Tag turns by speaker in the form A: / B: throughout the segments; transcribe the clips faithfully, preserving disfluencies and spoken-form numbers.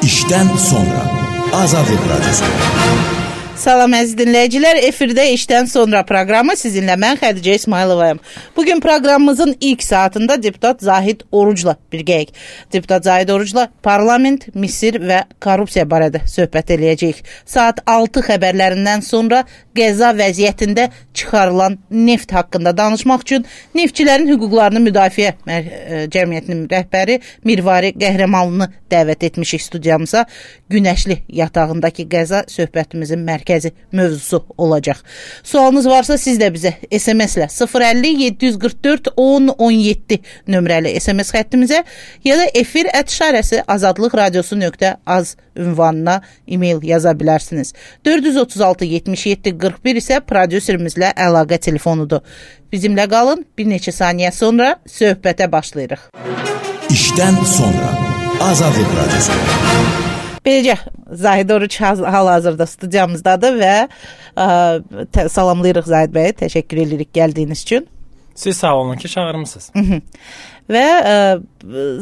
A: İşdən sonra Azadlıq Radyosu.
B: Salam əziz dinləyicilər, efirdə işdən sonra proqramı sizinlə mən Xədicə İsmayılovayım. Bugün proqramımızın ilk saatında deputat Zahid Orucla birgəyik. Deputat Zahid Orucla parlament, Misir və korrupsiya barədə söhbət eləyəcəyik. Saat altı xəbərlərindən sonra Qəza vəziyyətində çıxarılan neft haqqında danışmaq üçün Neftçilərin hüquqlarını müdafiə cəmiyyətinin rəhbəri Mirvari Qəhrəmanlını dəvət etmişik studiyamıza. Günəşli yatağındakı qəza söhbətimizin mərkəzi mövzusu olacaq. Sualınız varsa siz də bizə S M S-lə sıfır əlli yeddi yüz qırx dörd on on yeddi nömrəli S M S xəttimizə ya da efir ət işarəsi azadlıq radiosu nöqtə az ünvanına e-mail yaza bilərsiniz. dörd yüz otuz altı yetmiş yeddi qırx bir isə prodüserimizlə əlaqə telefonudur. Bizimlə qalın, bir neçə saniyə sonra söhbətə başlayırıq.
A: İşdən sonra Azadlıq Radyosu.
B: Beləcə, Zahid Oruc hal-hazırda studiyamızdadır və ə, salamlayırıq Zahid bəyə, təşəkkür edirik gəldiyiniz üçün.
C: Siz sağ olun ki, çağırmışsınız.
B: Və ə,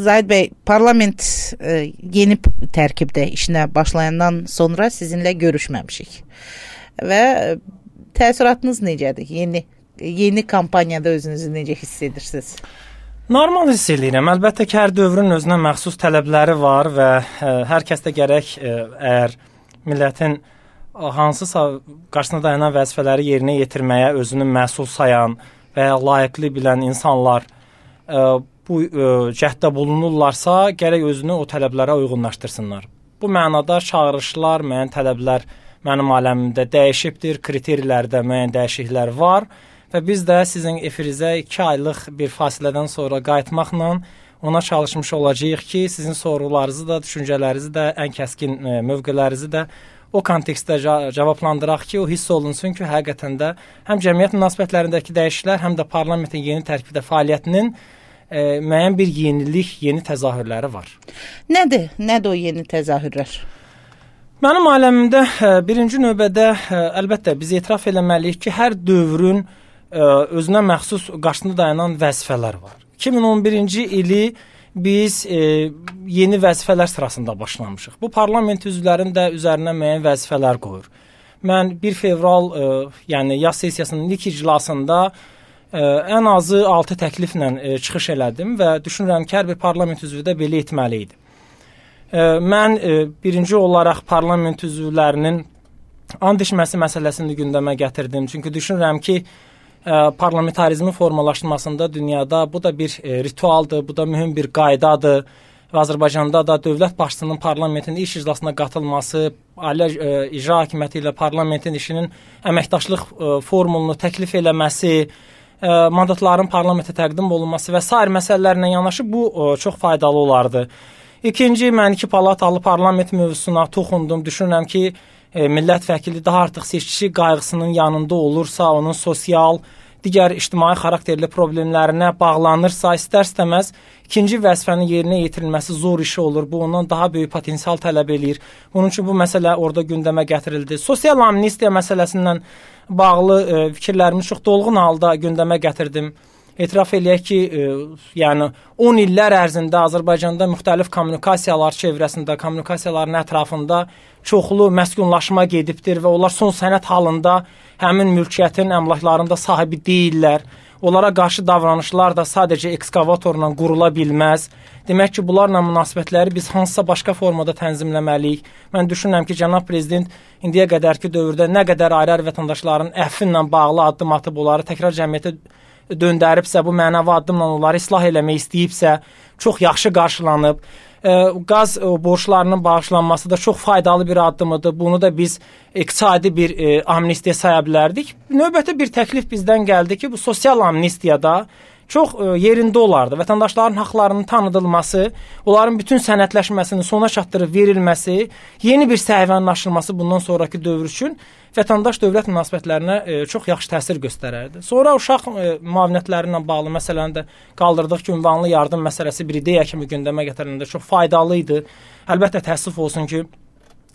B: Zahid bəy, parlament ə, yeni tərkibdə işinə başlayandan sonra sizinlə görüşməmişik. Və ə, təəssüratınız necədir? Yeni, yeni kampaniyada özünüzü necə hiss edirsiniz?
C: Normal hiss edirəm. Əlbəttə ki, hər dövrün özünə məxsus tələbləri var və ə, hər kəsdə gərək ə, əgər millətin hansısa qarşısına dayanan vəzifələri yerinə yetirməyə özünü məsul sayan və ya layiqli bilən insanlar ə, bu ə, cəhddə bulunurlarsa, gərək özünü o tələblərə uyğunlaşdırsınlar. Bu mənada çağırışlar, müəyyən tələblər mənim aləmimdə dəyişibdir, kriteriyalarda müəyyən dəyişikliklər var. Və biz də sizin efirizə iki aylıq bir fasilədən sonra qayıtmaqla ona çalışmış olacağıq ki, sizin sorularınızı da, düşüncələrinizi də, ən kəskin mövqelərinizi də o kontekstdə cavablandıraq ki, o hiss olunsun ki, həqiqətən də həm cəmiyyət münasibətlərindəki dəyişikliklər, həm də parlamentin yeni tərkibdə fəaliyyətinin e, müəyyən bir yenilik, yeni təzahürləri var.
B: Nədir? Nədir o yeni təzahürlər?
C: Mənim aləmimdə birinci növbədə əlbəttə biz etiraf eləməliyik ki, hər dövrün özünə məxsus qarşısında dayanan vəzifələr var. iki min on birinci ili biz e, yeni vəzifələr sırasında başlamışıq. Bu parlament üzvlərinin də üzərinə müəyyən vəzifələr qoyur. Mən bir fevral e, yəni yaz sessiyasının ilk iclasında e, ən azı altı təkliflə e, çıxış elədim və düşünürəm ki, hər bir parlament üzvü də belə etməli idi. E, mən e, birinci olaraq parlament üzvlərinin and içməsi məsələsini gündəmə gətirdim. Çünki düşünürəm ki, parlamentarizmin formalaşdırmasında dünyada bu da bir e, ritualdır, bu da mühüm bir qaydadır. Və Azərbaycanda da dövlət başçısının parlamentin iş iclasına qatılması, ali e, icra hakimiyyəti ilə parlamentin işinin əməkdaşlıq e, formulunu təklif eləməsi, e, mandatların parlamentə təqdim olunması və sair məsələlərlə yanaşı bu e, çox faydalı olardı. İkinci, mən iki palatalı parlament mövzusuna toxundum. Düşünürəm ki, e, millət vəkili daha artıq seçici qayğısının yanında olursa, onun sosial, digər ictimai xarakterli problemlərinə bağlanırsa, istər-istəməz ikinci vəzifənin yerinə yetirilməsi zor işi olur. Bu, ondan daha böyük potensial tələb eləyir. Bunun üçün bu məsələ orada gündəmə gətirildi. Sosial amnistiya məsələsindən bağlı e, fikirlərimi çox dolğun halda gündəmə gətirdim. Etiraf eləyək ki, e, yəni on illər ərzində Azərbaycanda müxtəlif kommunikasiyalar çevrəsində, kommunikasiyaların ətrafında çoxlu məskunlaşma gedibdir və onlar son sənət halında həmin mülkiyyətin, əmlakların da sahibi deyirlər. Onlara qarşı davranışlar da sadəcə ekskavatorla qurula bilməz. Demək ki, bunlarla münasibətləri biz hansısa başqa formada tənzimləməliyik. Mən düşünürəm ki, cənab prezident indiyə qədərki dövrdə nə qədər ayrı-ayrı vətəndaşların əfvi ilə bağlı addım atıb, onları təkrar cəmiyyətə döndəribsə, bu mənəvi addımla onları islah eləmək istəyibsə, çox yaxşı qarşılanıb. E, qaz e, borçlarının bağışlanması da çox faydalı bir addımıdır. Bunu da biz iqtisadi bir e, amnistiya saya bilərdik. Növbəti bir təklif bizdən gəldi ki, bu sosial amnistiyada çox e, yerində olardı. Vətəndaşların haqlarının tanıdılması, onların bütün sənədləşməsinin sona çatdırıb verilməsi, yeni bir səhifənin açılması bundan sonraki dövr üçün vətəndaş dövlət münasibətlərinə e, çox yaxşı təsir göstərərdi. Sonra uşaq e, müavinətləri ilə bağlı məsələni də qaldırdıq ki, ünvanlı yardım məsələsi bir ideya kimi gündəmə gətiriləndə çox faydalı idi. Əlbəttə təəssüf olsun ki,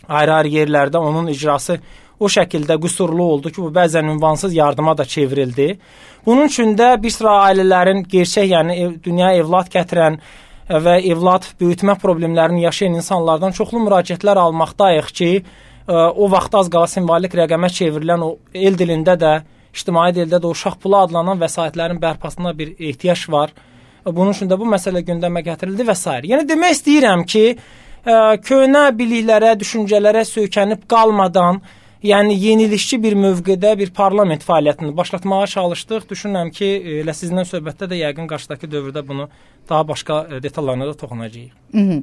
C: ayrı-ayrı yerlərdə onun icrası o şəkildə qüsurlu oldu ki, bu bəzən ünvansız yardıma da çevrildi. Bunun üçün də bir sıra ailələrin gerçək, yəni ev, dünyaya evlad gətirən, və evlad böyütmə problemlərini yaşayan insanlardan çoxlu müraciətlər almaqdayıq ki, o vaxt az qala simvolik rəqəmə çevrilən o el dilində də, ictimai dildə də uşaq pulu adlanan vəsaitlərin bərpasına bir ehtiyac var. Bunun üçün də bu məsələ gündəmə gətirildi və s. Yəni demək istəyirəm ki, köhnə biliklərə, düşüncələrə söykənib qalmadan, yəni yenilişçi bir mövqedə bir parlament fəaliyyətini başlatmağa çalışdıq. Düşünürəm ki, elə sizinlə söhbətdə də yəqin qarşıdakı dövrdə bunu daha başqa detallarına da toxunacağıq.
B: Hı -hı.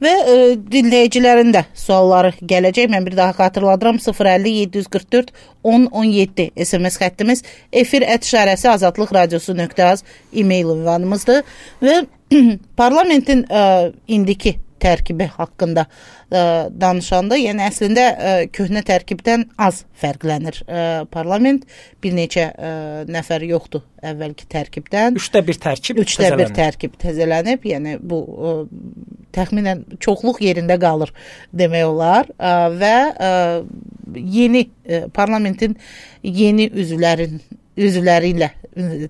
B: Və e, dinləyicilərin də sualları gələcək. Mən bir daha xatırladıram. sıfır əlli yeddi yüz qırx dörd on on yeddi S M S xəttimiz, efir ət işarəsi azadlıq radiosu nöqtə az e-mail ünvanımızdır və parlamentin e, indiki tərkibi haqqında ə, danışanda, yəni əslində ə, köhnə tərkibdən az fərqlənir ə, parlament. Bir neçə ə, nəfər yoxdur əvvəlki tərkibdən.
C: Üçdə bir tərkib
B: Üçdə bir tərkib təzələnib. Yəni bu ə, təxminən çoxluq yerində qalır demək olar ə, və ə, yeni ə, parlamentin yeni üzvlərin üzvləri ilə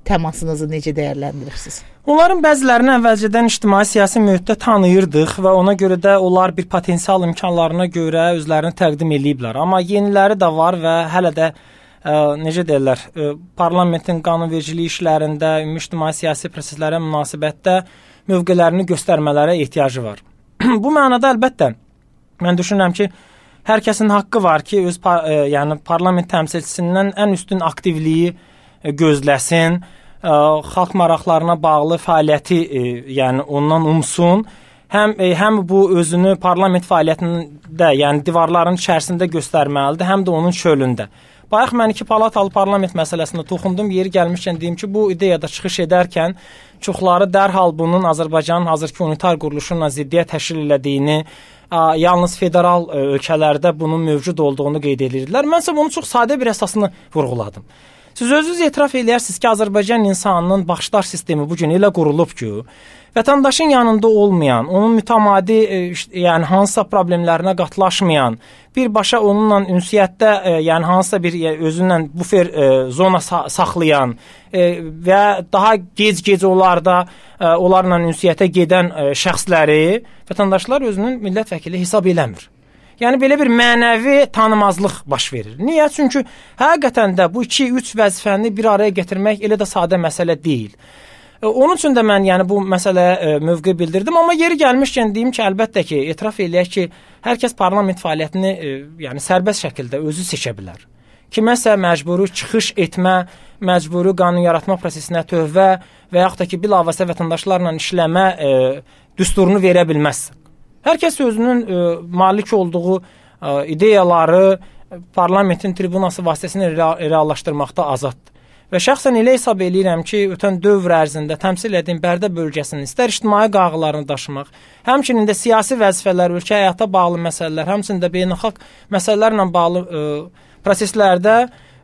B: təmasınızı necə dəyərləndirirsiniz?
C: Onların bəzilərini əvvəlcədən ictimai-siyasi mühitdə tanıyırdıq və ona görə də onlar bir potensial imkanlarına görə özlərini təqdim ediblər. Amma yeniləri də var və hələ də ə, necə deyirlər, ə, parlamentin qanunvericilik işlərində, ümumi ictimai-siyasi proseslərə münasibətdə mövqelərini göstərmələrə ehtiyacı var. Bu mənada əlbəttə mən düşünürəm ki, hər kəsin haqqı var ki, öz ə, yəni parlament təmsilçisindən ən üstün aktivliyi ə, gözləsin. Ə, xalq maraqlarına bağlı fəaliyyəti ə, yəni ondan umsun. Həm ə, həm bu özünü parlament fəaliyyətində, yəni divarların içərisində göstərməlidir, həm də onun çölündə. Bayaq mən iki palatalı parlament məsələsində toxundum. Yeri gəlmişkən deyim ki, bu ideyada çıxış edərkən çoxları dərhal bunun Azərbaycanın hazırki unitar quruluşuna ziddiyyət təşkil elədiyini, ə, yalnız federal ə, ölkələrdə bunun mövcud olduğunu qeyd edirdilər. Mən isə bunu çox sadə bir əsasını vurğuladım. Siz özünüz etiraf edirsiniz ki, Azərbaycan insanının baxışlar sistemi bu gün elə qurulub ki, vətəndaşın yanında olmayan, onun mütəmadi, yəni hansısa problemlərinə qatlaşmayan, birbaşa onunla ünsiyyətdə, yəni hansısa bir özündən bufer zona saxlayan və daha gec-gec onlarda onlarla ünsiyyətə gedən şəxsləri vətəndaşlar özünün millət vəkili hesab eləmir. Yəni belə bir mənəvi tanımazlıq baş verir. Niyə? Çünki həqiqətən də bu iki üç vəzifəni bir araya gətirmək elə də sadə məsələ deyil. Onun üçün də mən yəni bu məsələyə mövqe bildirdim, amma yeri gəlmişkən deyim ki, əlbəttə ki, etiraf eləyək ki, hər kəs parlament fəaliyyətini yəni sərbəst şəkildə özü seçə bilər. Kiməsə məcburi çıxış etmə, məcburi qanun yaratma prosesinə tövbə və yaxud da ki, bilavasitə vətəndaşlarla işləmə e, düsturunu verə bilməzsən. Hər kəs özünün ə, malik olduğu ə, ideyaları parlamentin tribunası vasitəsilə reallaşdırmaqda azaddır. Və şəxsən elə hesab eləyirəm ki, ötən dövr ərzində təmsil edin Bərdə bölgəsinin istər ictimai qayğılarını daşımaq, həmçinin də siyasi vəzifələr, ölkə həyata bağlı məsələlər, həmçinin də beynəlxalq məsələlərlə bağlı ə, proseslərdə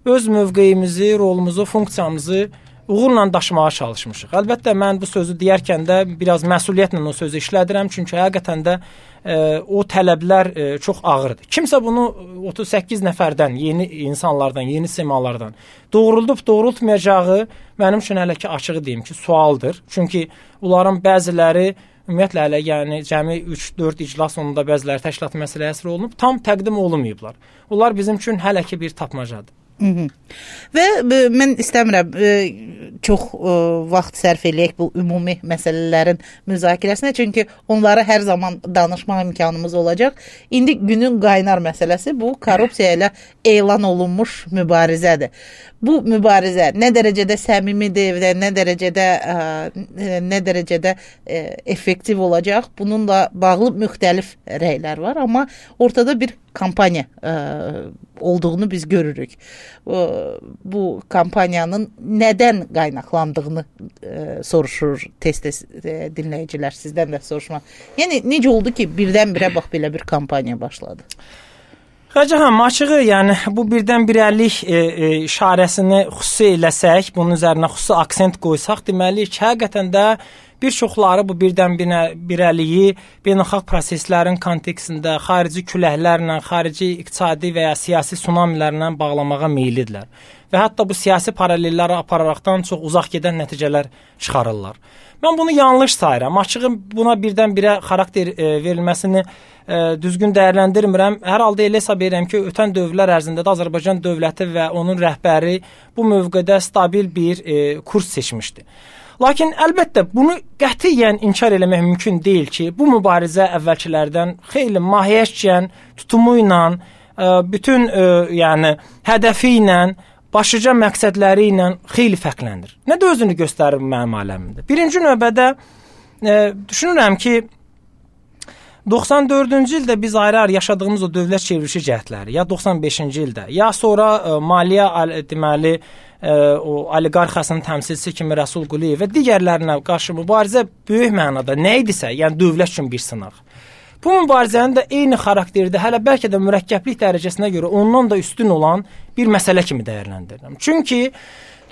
C: öz mövqeyimizi, rolumuzu, funksiyamızı uğurla daşımağa çalışmışıq. Əlbəttə, mən bu sözü deyərkən də biraz məsuliyyətlə o sözü işlədirəm, çünki həqiqətən də e, o tələblər e, çox ağırdır. Kimsə bunu otuz səkkiz nəfərdən, yeni insanlardan, yeni simalardan doğruldub, doğrultmayacağı mənim üçün hələ ki açığı deyim ki, sualdır. Çünki onların bəziləri ümumiyyətlə hələ yəni cəmi üç dörd iclas sonunda bəziləri təşkilat məsələyə həsr olunub, tam təqdim olunmayıblar. Onlar bizim üçün hələ ki bir tapmacadır.
B: Hı -hı. Və ə, mən istəmirəm ə, çox ə, vaxt sərf eləyək bu ümumi məsələlərin müzakirəsinə, çünki onları hər zaman danışma imkanımız olacaq. İndi günün qaynar məsələsi bu korrupsiya ilə elan olunmuş mübarizədir. Bu mübarizə nə dərəcədə səmimidir və nə dərəcədə ə, nə dərəcədə ə, effektiv olacaq? Bununla bağlı müxtəlif rəylər var, amma ortada bir kampaniya ə, olduğunu biz görürük. Bu, bu kampaniyanın nədən qaynaqlandığını ə, soruşur tez-tez ə, dinləyicilər, sizdən də soruşmaq. Yəni necə oldu ki, birdən-birə bax belə bir kampaniya başladı?
C: Xəcəhəm, açığı, yəni bu birdən-birəlik e, e, işarəsini xüsusi eləsək, bunun üzərinə xüsusi aksent qoysaq, deməliyik ki, həqiqətən də bir çoxları bu birdən-birəliyi beynəlxalq proseslərin kontekstində xarici küləklərlə, xarici iqtisadi və ya siyasi tsunamilərlə bağlamağa meyillidirlər. Və hətta bu siyasi paralelləri apararaqdan çox uzaq gedən nəticələr çıxarırlar. Mən bunu yanlış sayıram. Açığı buna birdən-birə xarakter e, verilməsini e, düzgün dəyərləndirmirəm. Hər halda elə hesab edirəm ki, ötən dövrlər ərzində də Azərbaycan dövləti və onun rəhbəri bu mövqedə stabil bir e, kurs seçmişdi. Lakin əlbəttə bunu qətiyyən inkar eləmək mümkün deyil ki, bu mübarizə əvvəlkilərdən xeyli mahiyyətcən, tutumu ilə, e, bütün e, yəni hədəfi ilə, başlıca məqsədləri ilə xeyli fərqlənir. Nə də özünü göstərir mənim aləmimdə. Birinci növbədə e, düşünürəm ki, doxsan dördüncü ildə biz ayrı-ayrı yaşadığımız o dövlət çevrilişi cəhdləri, ya doxsan beşinci ildə, ya sonra e, maliyyə deməli e, o oliqarxiyasının təmsilçisi kimi Rəsul Quliyev və digərlərinə qarşı mübarizə böyük mənada nə idisə, yəni dövlət üçün bir sınaq. Bu mübarizənin də eyni xarakterdə, hələ bəlkə də mürəkkəblik dərəcəsinə görə ondan da üstün olan bir məsələ kimi dəyərləndirirəm. Çünki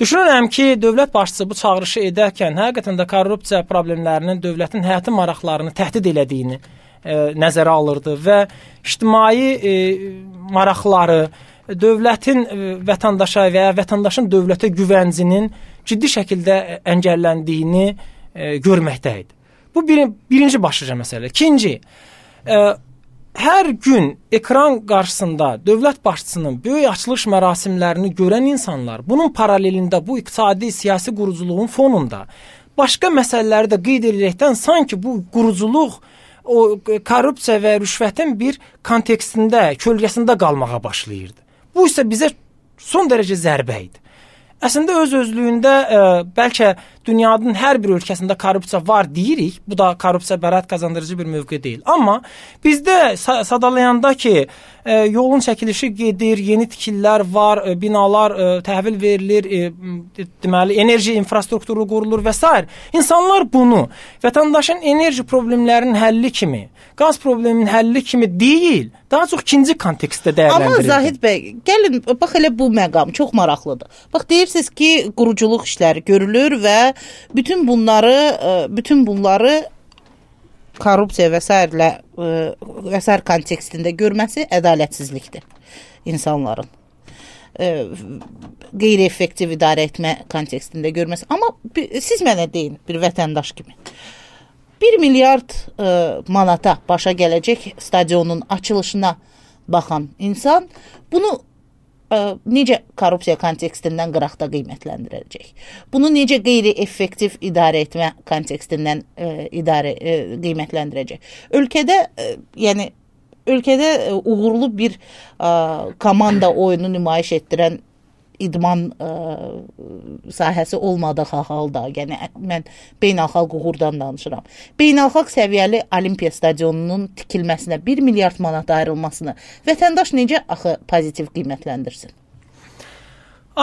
C: düşünürəm ki, dövlət başçısı bu çağırışı edərkən həqiqətən də korrupsiya problemlərinin dövlətin həyati maraqlarını təhdid elədiyini e, nəzərə alırdı və ictimai e, maraqları, dövlətin e, vətəndaşa və ya vətəndaşın dövlətə güvəncinin ciddi şəkildə əngəlləndiyini e, görməkdə idi. Bu bir, birinci başlıca məsələ. İkinci, Ə, hər gün ekran qarşısında dövlət başçısının böyük açılış mərasimlərini görən insanlar bunun paralelində bu iqtisadi siyasi quruculuğun fonunda başqa məsələləri də qeyd edərəkdən sanki bu quruculuq o korrupsiya və rüşvətin bir kontekstində, kölgəsində qalmağa başlayırdı. Bu isə bizə son dərəcə zərbə idi. Əslində öz özlüyündə ə, bəlkə dünyanın hər bir ölkəsində korrupsiya var deyirik. Bu da korrupsiya bəraət qazandırıcı bir mövqe deyil. Amma bizdə sadalayanda ki, ə, yolun çəkilişi gedir, yeni tikililər var, ə, binalar ə, təhvil verilir, ə, deməli enerji infrastrukturu qurulur və s. İnsanlar bunu vətəndaşın enerji problemlərinin həlli kimi, qaz probleminin həlli kimi deyil, daha çox ikinci kontekstdə dəyərləndirir.
B: Amma Zahid bəy, gəlin bax elə bu məqam çox maraqlıdır. Bax deyirsiniz ki, quruculuq işləri görülür və bütün bunları bütün bunları korrupsiya və s. və s. kontekstində görməsi ədalətsizlikdir insanların. Qeyri-effektiv idarə etmə kontekstində görməsi. Amma siz mənə deyin bir vətəndaş kimi. bir milyard e, manata başa gələcək stadionun açılışına baxan insan bunu e, necə korrupsiya kontekstindən qıraqda qiymətləndirəcək? Bunu necə qeyri-effektiv idarə etmə kontekstindən e, idarə e, qiymətləndirəcək? Ölkədə e, yəni ölkədə e, uğurlu bir e, komanda oyunu nümayiş etdirən idman ə, sahəsi olmadığı halda, yəni mən beynəlxalq uğurdan danışıram. Beynəlxalq səviyyəli Olimpiya stadionunun tikilməsinə bir milyard manat ayrılmasını vətəndaş necə axı pozitiv qiymətləndirsin?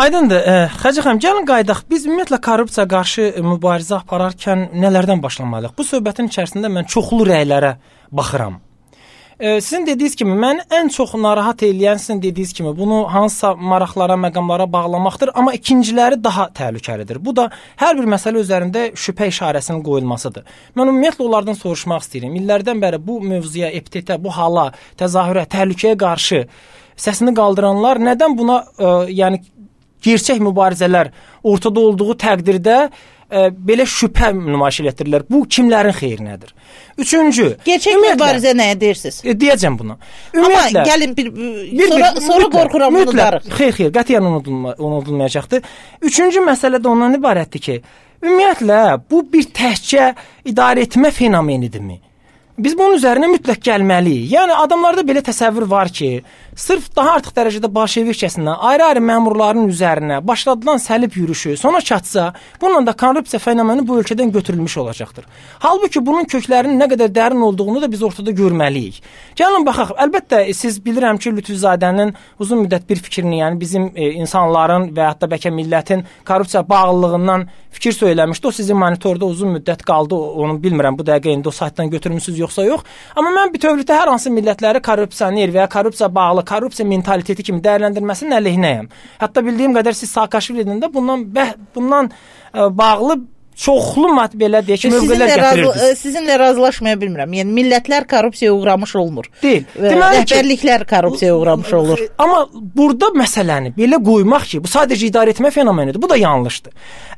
C: Aydındır. E, Xəcə xanım, gəlin qaydaq. Biz ümumiyyətlə korrupsiya qarşı mübarizə apararkən nələrdən başlamalıyıq? Bu söhbətin içərisində mən çoxlu rəylərə baxıram. Sizin dediyiniz kimi, mən ən çox narahat eləyən sizin dediyiniz kimi bunu hansısa maraqlara, məqamlara bağlamaqdır, amma ikinciləri daha təhlükəlidir. Bu da hər bir məsələ üzərində şübhə işarəsinin qoyulmasıdır. Mən ümumiyyətlə onlardan soruşmaq istəyirəm. İllərdən bəri bu mövzuya, epitetə, bu hala, təzahürə, təhlükəyə qarşı səsini qaldıranlar nədən buna ə, yəni gerçək mübarizələr ortada olduğu təqdirdə ə, belə şübhə nümayiş etdirirlər. Bu kimlərin xeyrinədir? Üçüncü,
B: gerçək mübarizə nəyə deyirsiniz?
C: E, deyəcəm bunu.
B: Amma gəlin bir, bir sonra, bir, sonra qorxuram bunu darıq.
C: Xeyr, xeyr, qətiyyən unudulma, unudulmayacaqdır. Üçüncü məsələ də ondan ibarətdir ki, ümumiyyətlə bu bir təhcə idarə etmə fenomenidirmi? Biz bunun üzərinə mütləq gəlməliyik. Yəni adamlarda belə təsəvvür var ki, sırf daha artıq dərəcədə bolşevikçəsindən ayrı-ayrı məmurların üzərinə başladılan səlib yürüşü sona çatsa, bununla da korrupsiya fenomeni bu ölkədən götürülmüş olacaqdır. Halbuki bunun köklərinin nə qədər dərin olduğunu da biz ortada görməliyik. Gəlin baxaq. Əlbəttə siz bilirəm ki, Lütfüzadənin uzun müddət bir fikrini, yəni bizim e, insanların və hətta bəlkə millətin korrupsiya bağlılığından fikir söyləmişdi. O sizin monitorda uzun müddət qaldı. Onu bilmirəm bu dəqiqə indi o saytdan götürmüsünüz yoxsa yox. Amma mən bütövlükdə hər hansı millətləri korrupsioner və ya korrupsiya bağlı, korrupsiya mentaliteti kimi dəyərləndirməsinin əleyhinəyəm. Hətta bildiyim qədər siz Saakashvilidən də bundan bəh, bundan ə, bağlı çoxlu mat belə deyək ki, mövqelər gətirirdiniz.
B: Sizinlə razılaşmaya bilmirəm. Yəni millətlər korrupsiyaya uğramış olmur.
C: Deyil.
B: Rəhbərliklər korrupsiyaya uğramış olur.
C: Amma burada məsələni belə qoymaq ki, bu sadəcə idarə etmə fenomenidir. Bu da yanlışdır.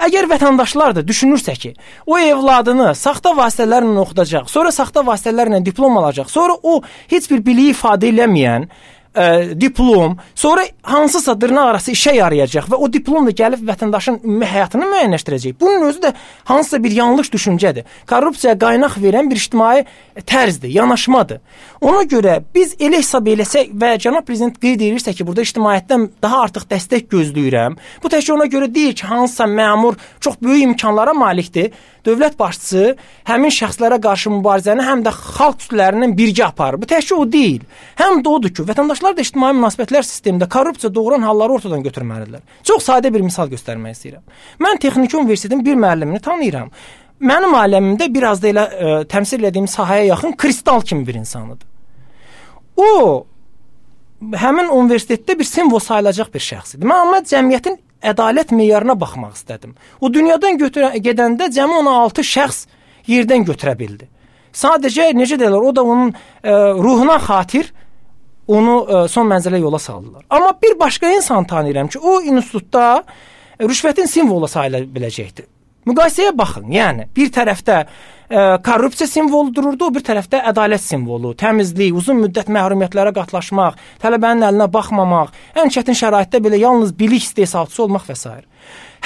C: Əgər vətəndaşlar da düşünürsə ki, o evladını saxta vasitələrlə oxudacaq, sonra saxta vasitələrlə diplom alacaq, sonra o heç bir biliyi ifadə eləməyən Ə, diplom, sonra hansısa dırnaq arası işə yarayacaq və o diplom da gəlib vətəndaşın ümumi həyatını müəyyənləşdirəcək. Bunun özü də hansısa bir yanlış düşüncədir. Korrupsiyaya qaynaq verən bir ictimai tərzdir, yanaşmadır. Ona görə biz elə hesab eləsək və cənab prezident qeyd edirsə ki, burada ictimaiyyətdən daha artıq dəstək gözləyirəm. Bu təkcə ona görə deyil ki, hansısa məmur çox böyük imkanlara malikdir. Dövlət başçısı həmin şəxslərə qarşı mübarizəni həm də xalq kütlələrinin birgə aparır. Bu təkcə o deyil. Həm də odur ki, vətəndaşlar da ictimai münasibətlər sistemində korrupsiya doğuran halları ortadan götürməlidirlər. Çox sadə bir misal göstərmək istəyirəm. Mən Texniki Universitetin bir müəllimini tanıyıram. Mənim aləmimdə biraz da elə ə, təmsil etdiyim sahəyə yaxın kristal kimi bir insanıdır. O həmin universitetdə bir simvol sayılacaq bir şəxsdir. Mən amma cəmiyyətin ədalət meyarına baxmaq istədim. O dünyadan götürə, gedəndə cəmi on altı şəxs yerdən götürə bildi. Sadəcə necə deyirlər, o da onun ə, ruhuna xatir onu ə, son mənzilə yola saldılar. Amma bir başqa insan tanıyıram ki, o institutda rüşvətin simvolu sayıla biləcəkdir. Müqayisəyə baxın. Yəni bir tərəfdə ə, korrupsiya simvolu dururdu, o bir tərəfdə ədalət simvolu, təmizlik, uzun müddət məhrumiyyətlərə qatlaşmaq, tələbənin əlinə baxmamaq, ən çətin şəraitdə belə yalnız bilik istehsalçısı olmaq və s.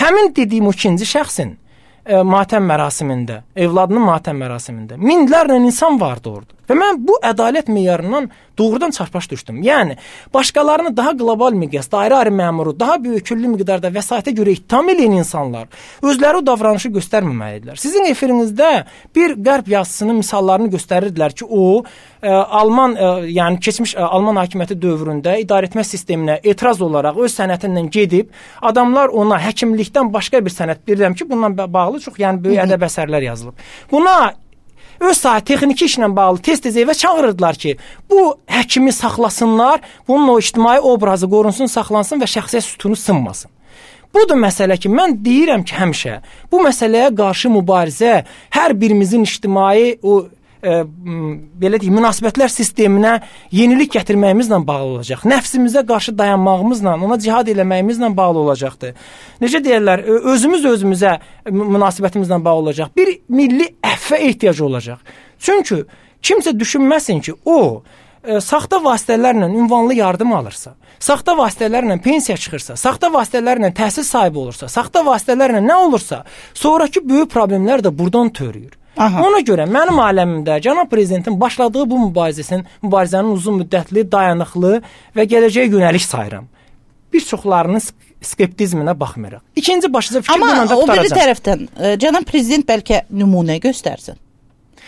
C: Həmin dediyim o ikinci şəxsin ə, matəm mərasimində, evladının matəm mərasimində minlərlə insan vardı orada. Və mən bu ədalət meyarından doğrudan çarpaş düşdüm. Yəni, başqalarını daha qlobal miqyasda, ayrı-ayrı məmuru, daha böyüküllü miqdarda vəsaitə görə ittiham edən insanlar özləri o davranışı göstərməməlidirlər. Sizin efirinizdə bir qərb yazısının misallarını göstərirdilər ki, o, ə, Alman, ə, yəni keçmiş ə, Alman hakimiyyəti dövründə idarəetmə sisteminə etiraz olaraq öz sənətindən gedib, adamlar ona həkimlikdən başqa bir sənət, bilirəm ki, bununla bağlı çox yəni böyük ədəb əsərlər yazılıb. Buna öz sahə texniki işlə bağlı tez-tez evə çağırırdılar ki, bu həkimi saxlasınlar, bunun o ictimai obrazı qorunsun, saxlansın və şəxsiyyət sütunu sınmasın. Budur məsələ ki, mən deyirəm ki, həmişə bu məsələyə qarşı mübarizə hər birimizin ictimai o e, belə deyim, münasibətlər sisteminə yenilik gətirməyimizlə bağlı olacaq. Nəfsimizə qarşı dayanmağımızla, ona cihad eləməyimizlə bağlı olacaqdır. Necə deyirlər, özümüz özümüzə münasibətimizlə bağlı olacaq. Bir milli əffə ehtiyacı olacaq. Çünki kimsə düşünməsin ki, o e, saxta vasitələrlə ünvanlı yardım alırsa, saxta vasitələrlə pensiya çıxırsa, saxta vasitələrlə təhsil sahibi olursa, saxta vasitələrlə nə olursa, sonraki böyük problemlər də buradan törüyür. Aha. Ona görə mənim aləmimdə cənab prezidentin başladığı bu mübarizəsin, mübarizənin uzun müddətli, dayanıqlı və gələcəyə yönəlik sayıram. Bir çoxlarının skeptizminə baxmırıq. İkinci başlıca fikir bununla da qutaracaq. Amma o biri tərəfdən cənab prezident bəlkə nümunə göstərsin.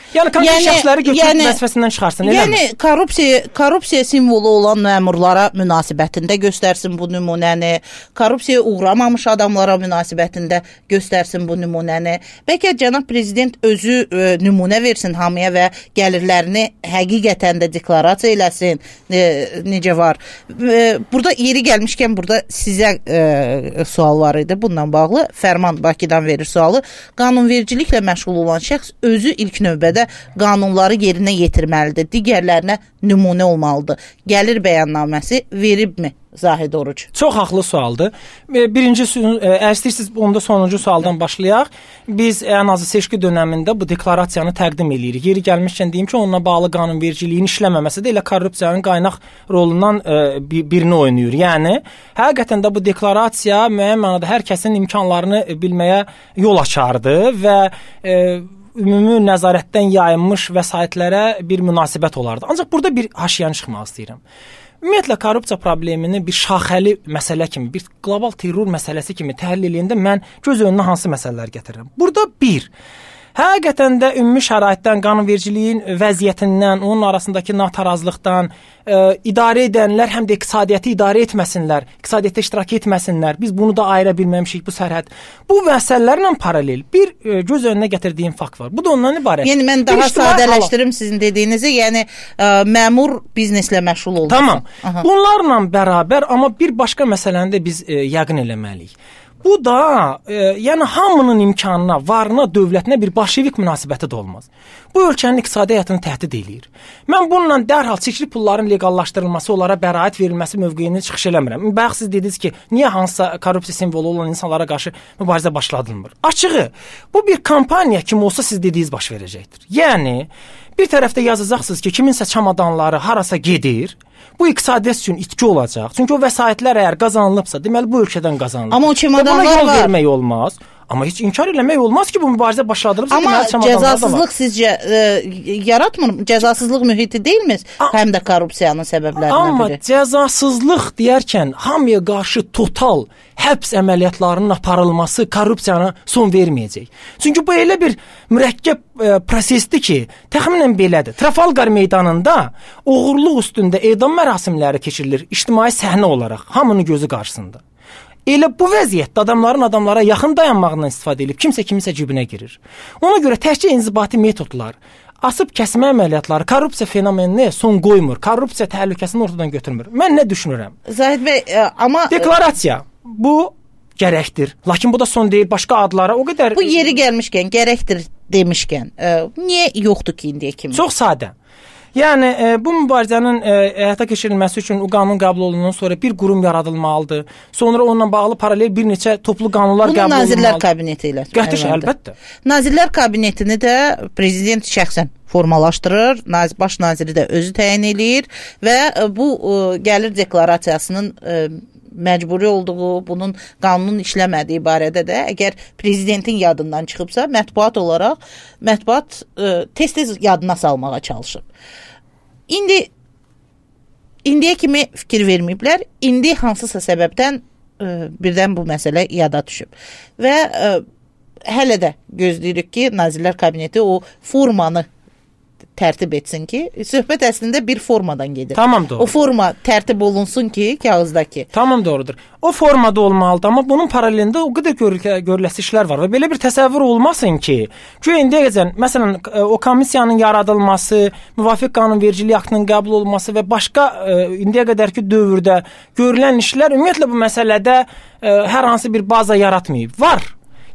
C: Yəni konkret yəni, şəxsləri götürüb yəni, vəzifəsindən çıxarsın, eləmi? Yəni korrupsiya, korrupsiya simvolu olan məmurlara münasibətində göstərsin bu nümunəni, korrupsiyaya uğramamış adamlara münasibətində göstərsin bu nümunəni. Bəlkə cənab prezident özü e, nümunə versin hamıya və gəlirlərini həqiqətən də deklarasiya eləsin. E, necə var? E, burada yeri gəlmişkən burada sizə e, sual var idi bununla bağlı. Fərman Bakıdan verir sualı. Qanunvericiliklə məşğul olan şəxs özü ilk növbədə qanunları yerinə yetirməlidir. Digərlərinə nümunə olmalıdır. Gəlir bəyannaməsi veribmi Zahid Oruc? Çox haqlı sualdır. Birinci, əgər istəyirsiniz, onda sonuncu sualdan başlayaq. Biz ən azı seçki dönəmində bu deklarasiyanı təqdim edirik. Yeri gəlmişkən deyim ki, onunla bağlı qanunvericiliyin işləməməsi də elə korrupsiyanın qaynaq rolundan birini oynayır. Yəni, həqiqətən də bu deklarasiya müəyyən mənada hər kəsin imkanlarını bilməyə yol açardı və e, ümumi nəzarətdən yayınmış vəsaitlərə bir münasibət olardı. Ancaq burada bir haşiyanı çıxmaq istəyirəm. Ümumiyyətlə, korrupsiya problemini bir şaxəli məsələ kimi, bir qlobal terror məsələsi kimi təhlil edəndə mən göz önünə hansı məsələlər gətirirəm? Burada bir, həqiqətən də ümumi şəraitdən, qanunvericiliyin vəziyyətindən, onun arasındakı natarazlıqdan e, idarə edənlər həm də iqtisadiyyatı idarə etməsinlər, iqtisadiyyatda iştirak etməsinlər. Biz bunu da ayıra bilməmişik, bu sərhəd. Bu məsələlərlə paralel bir e, göz önünə gətirdiyim fakt var. Bu da ondan ibarət.
B: Yəni mən daha sadələşdirim sizin dediyinizi, yəni e, məmur bizneslə məşğul olması.
C: Tamam. Aha. Bunlarla bərabər, amma bir başqa məsələni də biz e, yəqin eləməliyik. bu da e, yəni hamının imkanına, varına, dövlətinə bir bolşevik münasibəti də olmaz. Bu ölkənin iqtisadi həyatını təhdid eləyir. Mən bununla dərhal çirkli pulların legallaşdırılması, onlara bəraət verilməsi mövqeyini çıxış eləmirəm. Bayaq siz dediniz ki, niyə hansısa korrupsiya simvolu olan insanlara qarşı mübarizə başladılmır? Açığı, bu bir kampaniya kimi olsa siz dediyiniz baş verəcəkdir. Yəni, bir tərəfdə yazacaqsınız ki, kiminsə çamadanları harasa gedir, bu iqtisadiyyat üçün itki olacaq. Çünki o vəsaitlər əgər qazanılıbsa, deməli bu ölkədən qazanılır.
B: Amma o çamadanlar var.
C: Buna yol vermək olmaz. Amma heç inkar eləmək olmaz ki, bu mübarizə başladılıbsa,
B: amma cəzasızlıq sizcə e, yaratmır? Cəzasızlıq mühiti deyilmi? Həm də korrupsiyanın səbəblərindən
C: amma
B: biri.
C: Amma cəzasızlıq deyərkən hamıya qarşı total həbs əməliyyatlarının aparılması korrupsiyana son verməyəcək. Çünki bu elə bir mürəkkəb e, prosesdir ki, təxminən belədir. Trafalgar meydanında oğurluq üstündə edam mərasimləri keçirilir ictimai səhnə olaraq, hamının gözü qarşısında. Elə bu vəziyyətdə adamların adamlara yaxın dayanmağından istifadə edib kimsə kiminsə cibinə girir. Ona görə təkcə inzibati metodlar, asıb kəsmə əməliyyatları korrupsiya fenomeninə son qoymur, korrupsiya təhlükəsini ortadan götürmür. Mən nə düşünürəm?
B: Zahid bəy, amma
C: deklarasiya bu gərəkdir. Lakin bu da son deyil, başqa adlara o qədər.
B: Bu yeri gəlmişkən, gərəkdir demişkən, ə, niyə yoxdur ki indiyə kimi?
C: Çox sadə. Yəni e, bu mübarizənin e, həyata keçirilməsi üçün o qanun qəbul olunandan sonra bir qurum yaradılmalıdır. Sonra onunla bağlı paralel bir neçə toplu qanunlar
B: bunu
C: qəbul olunmalıdır. Bunu
B: Nazirlər Kabineti ilə.
C: Qətiş, əlbəttə.
B: Nazirlər Kabinetini də prezident şəxsən formalaşdırır, baş naziri də özü təyin eləyir və bu gəlir deklarasiyasının məcburi olduğu, bunun qanunun işləmədiyi barədə də əgər prezidentin yadından çıxıbsa, mətbuat olaraq mətbuat tez-tez yadına salmağa çalışıb. İndi indiyə kimi fikir verməyiblər. İndi hansısa səbəbdən ə, birdən bu məsələ yada düşüb. Və ə, hələ də gözləyirik ki, Nazirlər Kabineti o formanı tərtib etsin ki, söhbət əslində bir formadan gedir.
C: Tamam, doğru.
B: O forma tərtib olunsun ki, kağızdakı.
C: Tamam, doğrudur. O formada olmalıdır, amma bunun paralelində o qədər görül- görüləsi işlər var və belə bir təsəvvür olmasın ki, ki indiyə qədər, məsələn, o komissiyanın yaradılması, müvafiq qanunvericiliyi aktının qəbul olunması və başqa indiyə qədərki dövrdə görülən işlər ümumiyyətlə bu məsələdə hər hansı bir baza yaratmayıb. Var.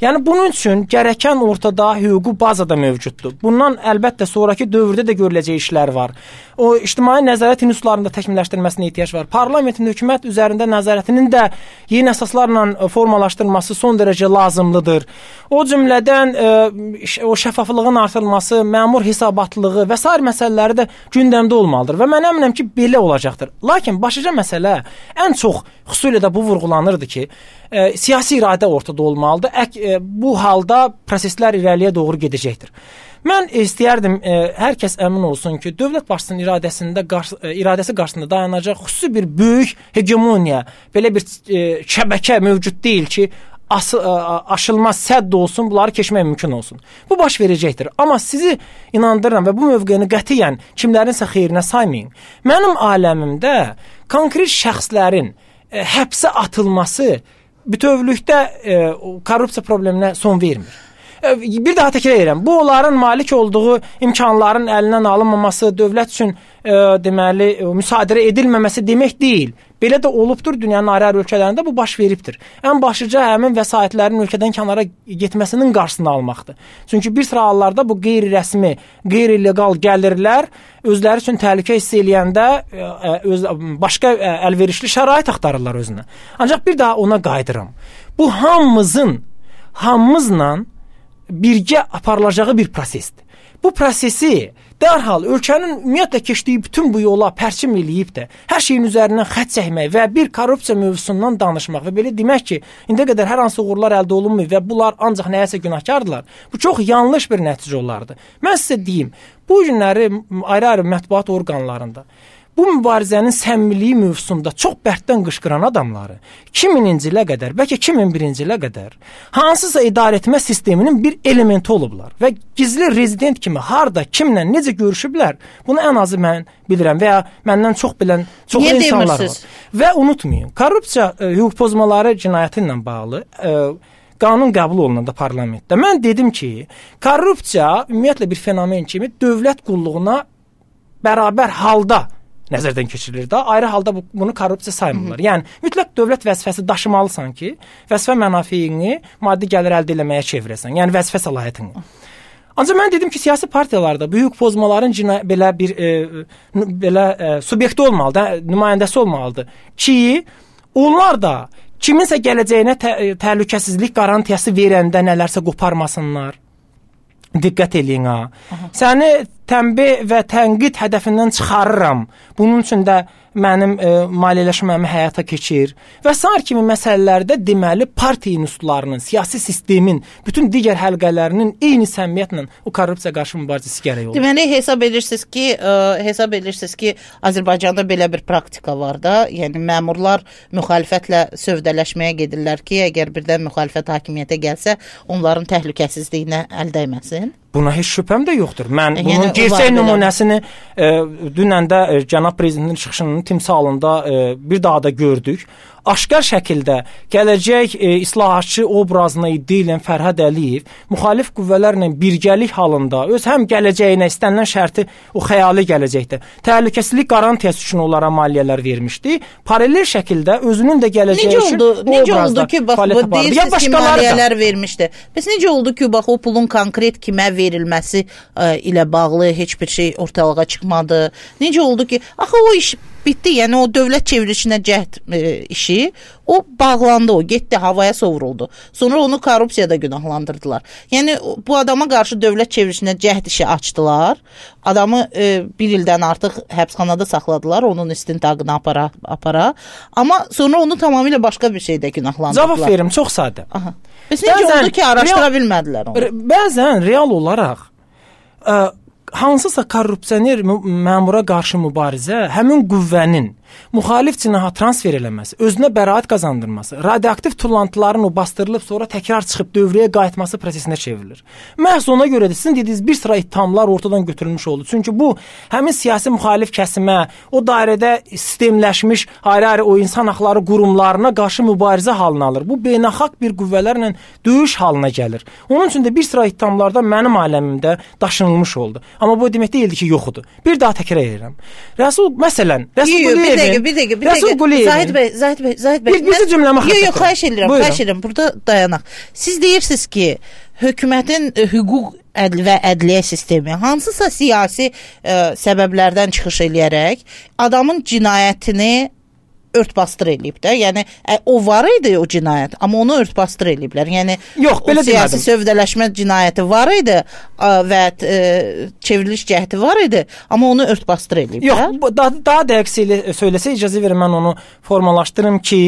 C: Yəni bunun üçün gərəkən ortada hüquqi baza da mövcuddur. Bundan əlbəttə sonraki dövrdə də görüləcək işlər var. O ictimai nəzarət institutlarında təkmilləşdirilməsinə ehtiyac var. Parlamentin hökumət üzərində nəzarətinin də yeni əsaslarla formalaşdırılması son dərəcə lazımlıdır. O cümlədən e, o şəffaflığın artırılması, məmur hesabatlığı və sair məsələləri də gündəmdə olmalıdır və mən əminəm ki, belə olacaqdır. Lakin başlıca məsələ ən çox xüsusilə də bu vurğulanırdı ki, e, siyasi iradə ortada olmalıdır. Ek, e, bu halda proseslər irəliyə doğru gedəcəkdir. Mən istəyərdim e, hər kəs əmin olsun ki, dövlət başçısının iradəsində qarşı, e, iradəsi qarşısında dayanacaq xüsusi bir böyük hegemoniya, belə bir e, şəbəkə mövcud deyil ki, as, e, aşılmaz sədd olsun, bunları keçmək mümkün olsun. Bu baş verəcəkdir. Amma sizi inandırıram və bu mövqeyini qətiyyən kimlərinsə xeyrinə saymayın. Mənim aləmimdə konkret şəxslərin e, həbsə atılması bütövlükdə e, korrupsiya probleminə son vermir. Bir daha təkrar edirəm. Bu onların malik olduğu imkanların əlindən alınmaması, dövlət üçün e, deməli e, müsadirə edilməməsi demək deyil. Belə də olubdur, dünyanın ayrı-ayrı ölkələrində bu baş veribdir. Ən başlıca həmin vəsaitlərin ölkədən kənara getməsinin qarşısını almaqdır. Çünki bir sıra hallarda bu qeyri-rəsmi, qeyri-legal gəlirlər özləri üçün təhlükə hiss eləyəndə e, öz, başqa e, əlverişli şərait axtarırlar özünə. Ancaq bir daha ona qayıdıram. Bu hamımızın, hamımızla birgə aparılacağı bir prosesdir. Bu prosesi dərhal ölkənin ümumiyyətlə keçdiyi bütün bu yola pərçim eləyib də hər şeyin üzərindən xətt çəkmək və bir korrupsiya mövzusundan danışmaq və belə demək ki, indiyə qədər hər hansı uğurlar əldə olunmuyor və bunlar ancaq nəyəsə günahkardırlar. Bu çox yanlış bir nəticə olardı. Mən sizə deyim, bu günləri ayrı-ayrı mətbuat orqanlarında bu mübarizənin səmimiliyi mövzusunda çox bərkdən qışqıran adamları iki mininci ilə qədər, bəlkə iki min birinci ilə qədər hansısa idarə etmə sisteminin bir elementi olublar və gizli rezident kimi harda, kimlə, necə görüşüblər, bunu ən azı mən bilirəm və ya məndən çox bilən çox insanlar var. Və unutmayın, korrupsiya e, hüquq pozmaları cinayəti ilə bağlı e, qanun qəbul olunanda parlamentdə mən dedim ki, korrupsiya ümumiyyətlə bir fenomen kimi dövlət qulluğuna bərabər halda nəzərdən keçirilir də. Ayrı halda bu, bunu korrupsiya saymırlar. Hı -hı. Yəni mütləq dövlət vəzifəsi daşımalısan ki, vəzifə mənafeyini maddi gəlir əldə etməyə çevirəsən. Yəni vəzifə səlahiyyətini. Ancaq mən dedim ki, siyasi partiyalarda böyük pozmaların cinayət belə bir e, belə e, subyekti olmalıdır, nümayəndəsi olmalıdır ki, onlar da kiminsə gələcəyinə tə təhlükəsizlik qarantiyası verəndə nələrsə qoparmasınlar. Diqqət eləyin ha. Aha. Səni tənbih və tənqid hədəfindən çıxarıram. Bunun üçün də mənim e, maliyyələşməmi həyata keçir və sair kimi məsələlərdə deməli partiya institutlarının, siyasi sistemin, bütün digər həlqələrinin eyni səmimiyyətlə o korrupsiya qarşı mübarizəsi gərək olur.
B: Deməli hesab edirsiniz ki, ə, hesab edirsiniz ki, Azərbaycanda belə bir praktika var da, yəni məmurlar müxalifətlə sövdələşməyə gedirlər ki, əgər birdən müxalifət hakimiyyətə gəlsə, onların təhlükəsizliyinə əl dəyməsin.
C: Buna heç şübhəm də yoxdur. Mən yəni, bunun gerçək nümunəsini e, dünən də e, cənab prezidentin çıxışının timsalında e, bir daha da gördük. Aşkar şəkildə gələcək e, islahatçı obrazına iddia edən Fərhad Əliyev müxalif qüvvələrlə birgəlik halında öz həm gələcəyinə istənilən şərti o xəyali gələcəkdə təhlükəsizlik qarantiyası üçün onlara maliyyələr vermişdi. Paralel şəkildə özünün də gələcəyi
B: necə
C: üçün
B: oldu, necə oldu ki, bax bu deyirsiniz ki, maliyyələr vermişdi. Bəs necə oldu ki, bax o pulun konkret kimə verilməsi ə, ilə bağlı heç bir şey ortalığa çıxmadı? Necə oldu ki, axı o iş bitdi, yəni o dövlət çevrilişinə cəhd e, işi, o bağlandı, o getdi, havaya sovruldu. Sonra onu korrupsiyada günahlandırdılar. Yəni bu adama qarşı dövlət çevrilişinə cəhd işi açdılar. Adamı e, bir ildən artıq həbsxanada saxladılar, onun istintaqını apara, apara. Amma sonra onu tamamilə başqa bir şeydə günahlandırdılar.
C: Cavab verim, çox sadə.
B: Aha. Bəs necə oldu ki, araşdıra real, bilmədilər onu?
C: Bəzən real olaraq ə, hansısa korrupsioner məmura qarşı mübarizə həmin qüvvənin müxalif cinaha transfer eləməsi, özünə bəraət qazandırması, radioaktiv tullantıların o bastırılıb sonra təkrar çıxıb dövrəyə qayıtması prosesinə çevrilir. Məhz ona görə də sizin dediyiniz bir sıra ittihamlar ortadan götürülmüş oldu. Çünki bu həmin siyasi müxalif kəsimə, o dairədə sistemləşmiş ayrı-ayrı o insan haqları qurumlarına qarşı mübarizə halına alır. Bu beynəlxalq bir qüvvələrlə döyüş halına gəlir. Onun üçün də bir sıra ittihamlarda mənim aləmimdə daşınılmış oldu. Amma bu demək deyildi ki, yoxudur. Bir daha təkrar edirəm. Rəsul, məsələn, Rəsul Quliyevin
B: Bir dəqiqə, bir dəqiqə, bir dəqiqə. Zahid bəy, Zahid bəy, Zahid bəy.
C: Bir, bir cümləmə xatırlayın.
B: Yox, yox, xahiş edirəm, Buyurun. xahiş edirəm. Burada dayanaq. Siz deyirsiniz ki, hökumətin hüquq ədl və ədliyyə sistemi hansısa siyasi ə, səbəblərdən çıxış eləyərək adamın cinayətini örtbasdır eləyib də. Yəni ə, o var idi o cinayət, amma onu örtbasdır eləyiblər. Yəni
C: yox, belə
B: o siyasi
C: demədim.
B: Sövdələşmə cinayəti var idi ə, və ə, çevriliş cəhdi var idi, amma onu örtbasdır eləyiblər.
C: Yox, daha, daha dəqiq söyləsə icazə verin, mən onu formalaşdırım ki,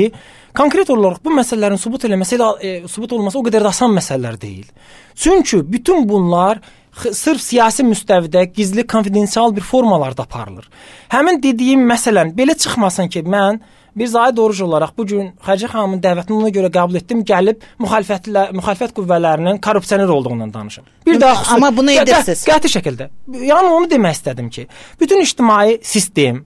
C: konkret olaraq bu məsələlərin sübut eləməsi ilə e, sübut olması o qədər də asan məsələlər deyil. Çünki bütün bunlar sırf siyasi müstəvidə gizli, konfidensial bir formalarda aparılır. Həmin dediyim məsələn belə çıxmasın ki, mən bir Zahid Oruc olaraq bu gün Xədicə xanımın dəvətini ona görə qəbul etdim, gəlib müxalifətlə müxalifət qüvvələrinin korrupsioner olduğundan danışım. Bir daha xüsusi,
B: amma bunu edirsiniz.
C: Qəti şəkildə. Yəni onu demək istədim ki, bütün ictimai sistem,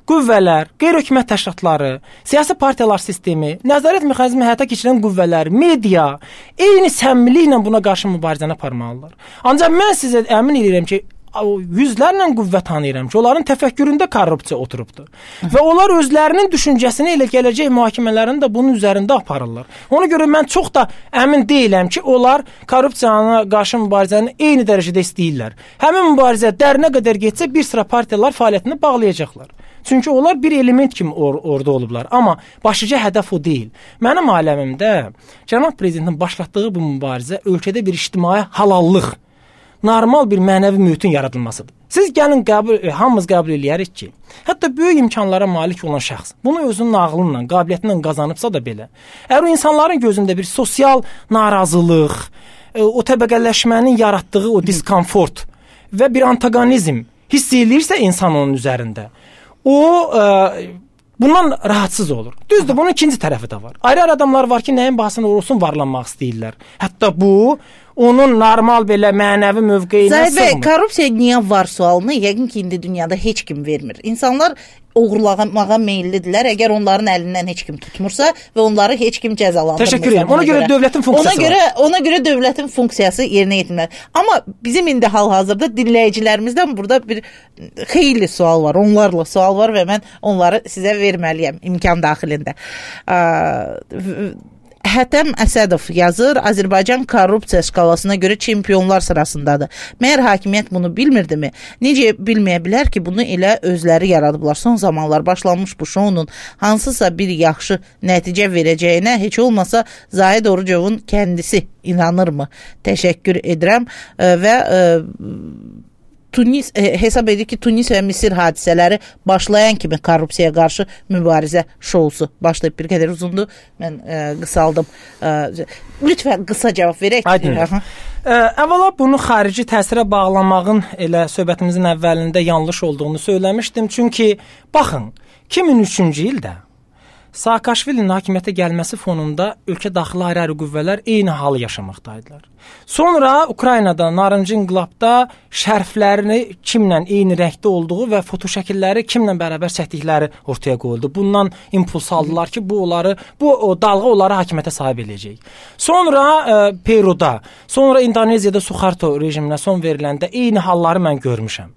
C: qüvvələr, qeyri-hökumət təşkilatları, siyasi partiyalar sistemi, nəzarət mexanizmi həyata keçirən qüvvələr, media eyni səmimiliklə buna qarşı mübarizəni aparmalılar. Ancaq mən sizə əmin edirəm ki, yüzlərlə qüvvə tanıyıram ki, onların təfəkküründə korrupsiya oturubdur. Və onlar özlərinin düşüncəsini elə gələcək mühakimələrini də bunun üzərində aparırlar. Ona görə mən çox da əmin deyiləm ki, onlar korrupsiyana qarşı mübarizəni eyni dərəcədə istəyirlər. Həmin mübarizə dərinə qədər getsə bir sıra partiyalar fəaliyyətini bağlayacaqlar. Çünki onlar bir element kimi or orada olublar. Amma başlıca hədəf o deyil. Mənim aləmimdə cənab prezidentin başlatdığı bu mübarizə ölkədə bir ictimai halallıq, normal bir mənəvi mühitin yaradılmasıdır. Siz gəlin qəbul, hamımız qəbul eləyərik ki, hətta böyük imkanlara malik olan şəxs bunu özünün ağlınla, qabiliyyətindən qazanıbsa da belə, əgər o insanların gözündə bir sosial narazılıq, o təbəqələşmənin yaratdığı o diskomfort və bir antagonizm hiss eləyirsə insan onun üzərində, o ə, bundan rahatsız olur. Düzdür, bunun ikinci tərəfi də var. Ayrı-ayrı adamlar var ki, nəyin bahasına olsun varlanmaq istəyirlər. Hətta bu, onun normal belə mənəvi mövqeyinə
B: sığmır.
C: Zahid bəy,
B: korrupsiya niyə var sualını yəqin ki, indi dünyada heç kim vermir. İnsanlar oğurlamağa meyillidirlər, əgər onların əlindən heç kim tutmursa və onları heç kim cəzalandırmırsa.
C: Təşəkkür edirəm. Ona görə, görə dövlətin funksiyası
B: ona görə,
C: var.
B: Ona görə dövlətin funksiyası yerinə yetirilməlidir. Amma bizim indi hal-hazırda dinləyicilərimizdən burada bir xeyli sual var, onlarla sual var və mən onları sizə verməliyəm imkan daxilində. Hətəm Əsədov yazır, Azərbaycan korrupsiya skalasına görə çempionlar sırasındadır. Məyər hakimiyyət bunu bilmirdimi? Necə bilməyə bilər ki, bunu elə özləri yaradıblar. Son zamanlar başlanmış bu şounun hansısa bir yaxşı nəticə verəcəyinə heç olmasa Zahid Orucovun kəndisi inanırmı? Təşəkkür edirəm və Tunis e, hesab edir ki, Tunis və Misir hadisələri başlayan kimi korrupsiyaya qarşı mübarizə şousu başlayıb. Bir qədər uzundur, mən e, qısaldım. E, lütfən qısa cavab verək.
C: Əvvəla bunu xarici təsirə bağlamağın elə söhbətimizin əvvəlində yanlış olduğunu söyləmişdim. Çünki baxın, iki min üçüncü ildə Saakashvilinin hakimiyyətə gəlməsi fonunda ölkə daxili ayrı-ayrı qüvvələr eyni halı yaşamaqdaydılar. Sonra Ukraynada, narıncı inqilabda şərflərini kimlə eyni rəngdə olduğu və fotoşəkilləri kimlə bərabər çəkdikləri ortaya qoyuldu. Bundan impuls aldılar ki, bu onları, bu o dalğa onları hakimiyyətə sahib eləyəcək. Sonra e, Peruda, sonra İndoneziyada Suharto rejiminə son veriləndə eyni halları mən görmüşəm.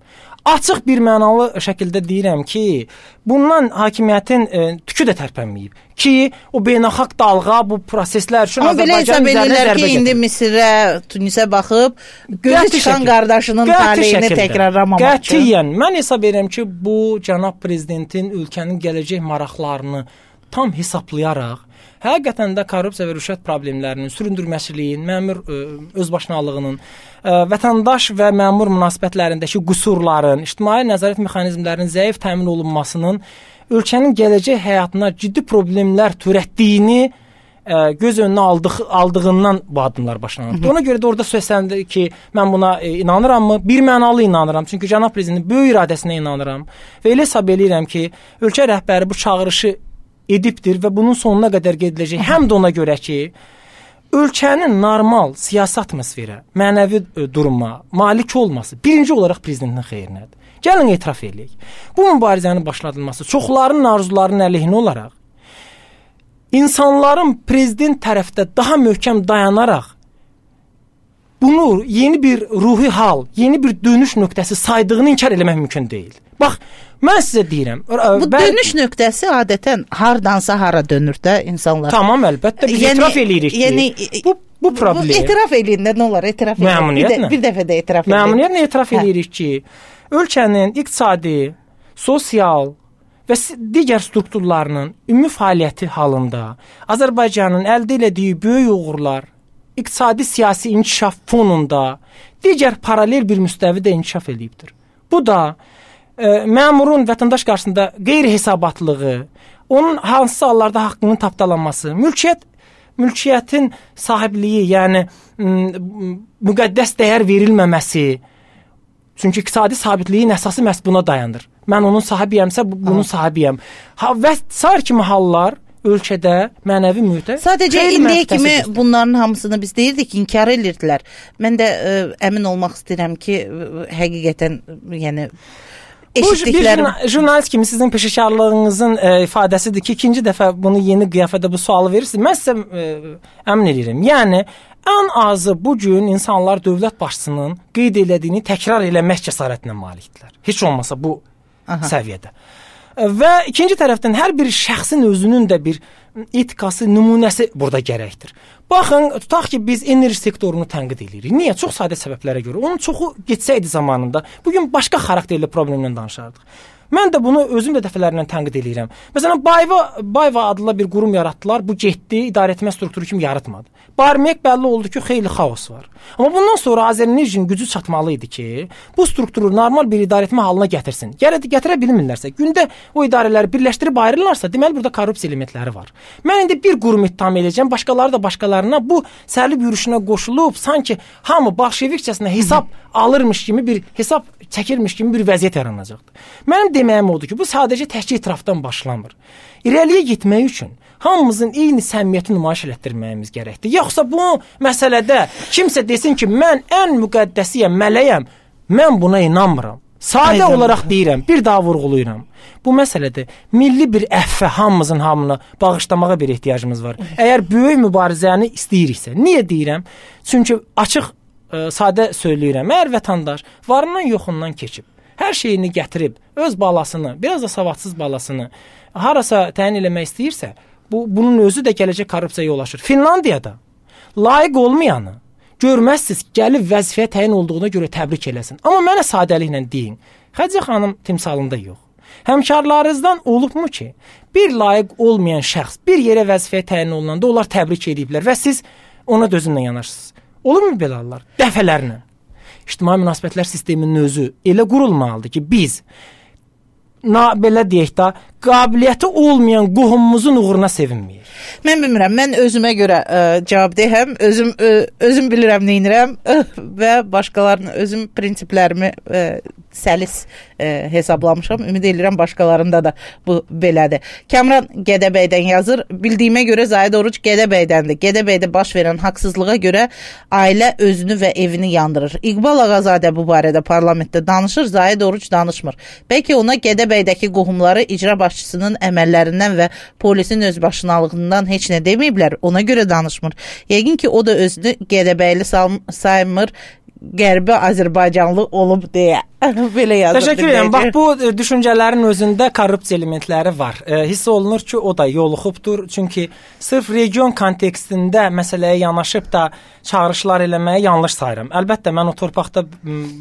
C: Açıq bir mənalı şəkildə deyirəm ki, bundan hakimiyyətin e, tükü də tərpənməyib ki, o beynəlxalq dalğa bu proseslər üçün Azərbaycan üzərinə zərbə
B: ki, indi Misirə, Tunisə baxıb gözü çıxan qardaşının taleyini təkrarlamamaq üçün.
C: Qətiyyən, mən hesab edirəm ki, bu cənab prezidentin ölkənin gələcək maraqlarını tam hesablayaraq həqiqətən də korrupsiya və rüşvət problemlərinin, süründürməçiliyin, məmur ə, özbaşınalığının, ə, vətəndaş və məmur münasibətlərindəki qüsurların, ictimai nəzarət mexanizmlərinin zəif təmin olunmasının ölkənin gələcək həyatına ciddi problemlər törətdiyini ə, göz önünə aldıq, aldığından bu addımlar başlanır. Ona görə də orada söylənir ki, mən buna ə, inanırammı? Bir mənalı inanıram. Çünki cənab prezidentin böyük iradəsinə inanıram və elə hesab eləyirəm ki, ölkə rəhbəri bu çağırışı edibdir və bunun sonuna qədər gediləcək. Həm də ona görə ki, ölkənin normal siyasi atmosferə, mənəvi duruma malik olması birinci olaraq prezidentin xeyrinədir. Gəlin etiraf edək. Bu mübarizənin başladılması çoxlarının arzularının əleyhinə olaraq insanların prezident tərəfdə daha möhkəm dayanaraq bunu yeni bir ruhi hal, yeni bir dönüş nöqtəsi saydığını inkar eləmək mümkün deyil. Bax, mən sizə deyirəm.
B: Bu bən... dönüş nöqtəsi adətən hardansa hara dönür də insanlar.
C: Tamam, əlbəttə. Biz yəni, etiraf eləyirik ki, yəni, bu, bu problem. Bu
B: etiraf eləyin də, nə olar? Etiraf eləyin. Bir, də, bir dəfə də etiraf eləyin.
C: Məmnuniyyətlə etiraf eləyirik ki, ölkənin iqtisadi, sosial və digər strukturlarının ümumi fəaliyyəti halında Azərbaycanın əldə elədiyi böyük uğurlar iqtisadi siyasi inkişaf fonunda digər paralel bir müstəvidə inkişaf edibdir. Bu da e, məmurun vətəndaş qarşısında qeyri-hesabatlığı, onun hansı hallarda haqqının tapdalanması, mülkiyyət, mülkiyyətin sahibliyi, yəni müqəddəs dəyər verilməməsi, çünki iqtisadi sabitliyin əsası məhz buna dayanır. Mən onun sahibiyəmsə, bunun sahibiyəm. Ha, və sair kimi hallar ölkədə mənəvi mühitə
B: sadəcə indiyə kimi bunların hamısını biz deyirdik, inkar edirdilər. Mən də ə, əmin olmaq istəyirəm ki, həqiqətən yəni eşitdiklərim...
C: Bir jurnalist kimi sizin peşəkarlığınızın ə, ifadəsidir ki, ikinci dəfə bunu yeni qiyafədə bu sualı verirsiniz. Mən sizə ə, əmin edirəm. Yəni, ən azı bugün insanlar dövlət başçısının qeyd elədiyini təkrar eləmək cəsarətinə malikdirlər. Heç olmasa bu Aha. səviyyədə. Və ikinci tərəfdən hər bir şəxsin özünün də bir etikası, nümunəsi burada gərəkdir. Baxın, tutaq ki, biz enerji sektorunu tənqid edirik. Niyə? Çox sadə səbəblərə görə. Onun çoxu getsəydi zamanında, bugün başqa xarakterli problemlə danışardıq. Mən də bunu özüm də dəfələrlə tənqid edirəm. Məsələn, Bayva, Bayva adlı bir qurum yaratdılar. Bu getdi, idarəetmə strukturu kimi yaratmadı. Barmaq bəlli oldu ki, xeyli xaos var. Amma bundan sonra Azərenerjinin gücü çatmalı idi ki, bu strukturu normal bir idarəetmə halına gətirsin. Gələ gətirə bilmirlərsə, gündə o idarələri birləşdirib ayrılırlarsa, deməli burada korrupsiya elementləri var. Mən indi bir qurum ittiham edəcəm, başqaları da başqalarına bu sərli yürüşünə qoşulub, sanki hamı bolşevikçəsinə hesab alırmış kimi bir hesab çəkirmiş kimi bir vəziyyət yaranacaqdır. Mənim deməyim odur ki, bu sadəcə təkcə etirafdan başlamır. İrəliyə getmək üçün hamımızın eyni səmimiyyəti nümayiş etdirməyimiz gərəkdir. Yoxsa bu məsələdə kimsə desin ki, mən ən müqəddəsiyəm, mələyəm, mən buna inanmıram. Sadə Aynen. olaraq deyirəm, bir daha vurğulayıram. Bu məsələdə milli bir əffə hamımızın hamına bağışlamağa bir ehtiyacımız var. Əgər böyük mübarizəni istəyiriksə, niyə deyirəm? Çünki açıq, ə, sadə söyləyirəm, əgər vətəndaş varından yoxundan keçib, hər şeyini gətirib, öz balasını, biraz da savadsız balasını harasa təyin eləmək istəyirsə, bu, bunun özü də gələcək korrupsiyaya yol açır. Finlandiyada layiq olmayanı görməzsiniz, gəlib vəzifəyə təyin olduğuna görə təbrik eləsin. Amma mənə sadəliklə deyin, Xədicə xanım timsalında yox. Həmkarlarınızdan olubmu ki, bir layiq olmayan şəxs bir yerə vəzifəyə təyin olunanda onlar təbrik ediblər və siz ona dözümlə yanaşırsınız. Olurmu belə hallar? Dəfələrlə. İctimai münasibətlər sisteminin özü elə qurulmalıdır ki, biz na, belə deyək də, qabiliyyəti olmayan qohumumuzun uğruna sevinməyir.
B: Mən bilmirəm, mən özümə görə ə, cavabdehəm, özüm ə, özüm bilirəm nə edirəm və başqalarının özüm prinsiplərimi ə, səlis ə, hesablamışam. Ümid edirəm başqalarında da bu belədir. Kamran Gədəbəydən yazır. Bildiyimə görə Zahid Oruc Gədəbəydəndir. Gədəbəydə baş verən haqsızlığa görə ailə özünü və evini yandırır. İqbal Ağazadə bu barədə parlamentdə danışır, Zahid Oruc danışmır. Bəlkə ona Gədəbəydəki qohumları icra başçısının əməllərindən və polisin özbaşınalığından heç nə deməyiblər, ona görə danışmır. Yəqin ki, o da özünü Gədəbəyli saymır, Qərbi Azərbaycanlı olub deyə. Belə yazır.
C: Təşəkkür edirəm. Bax, bu düşüncələrin özündə korrupsiya elementləri var. E, hiss olunur ki, o da yoluxubdur. Çünki sırf region kontekstində məsələyə yanaşıb da çağırışlar eləməyə yanlış sayıram. Əlbəttə, mən o torpaqda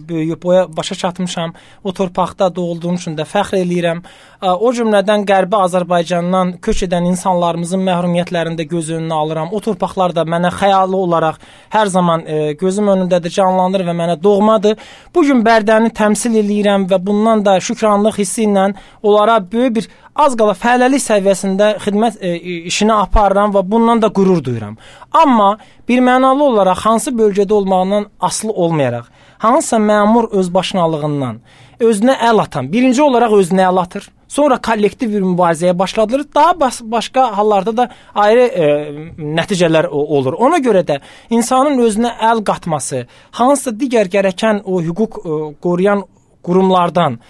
C: böyüyüb, boya başa çatmışam. O torpaqda doğulduğum üçün də fəxr eləyirəm. E, o cümlədən Qərbi Azərbaycandan köç edən insanlarımızın məhrumiyyətlərində göz önünə alıram. O torpaqlar da mənə xəyali olaraq hər zaman e, gözüm önündədir, canlanır və mənə doğmadır. Bugün Bərdəni təmsil eləyirəm və bundan da şükranlıq hissi ilə onlara böyük bir az qala fəhləlik səviyyəsində xidmət e, işini aparıram və bundan da qürur duyuram. Amma bir mənalı olaraq hansı bölgədə olmağından asılı olmayaraq, hansısa məmur özbaşınalığından özünə əl atan, birinci olaraq özünə əl atır, sonra kollektiv bir mübarizəyə başladılır, daha bas başqa hallarda da ayrı e, nəticələr olur. Ona görə də insanın özünə əl qatması, hansısa digər gərəkən o hüquq e, qoruyan qurumlardan,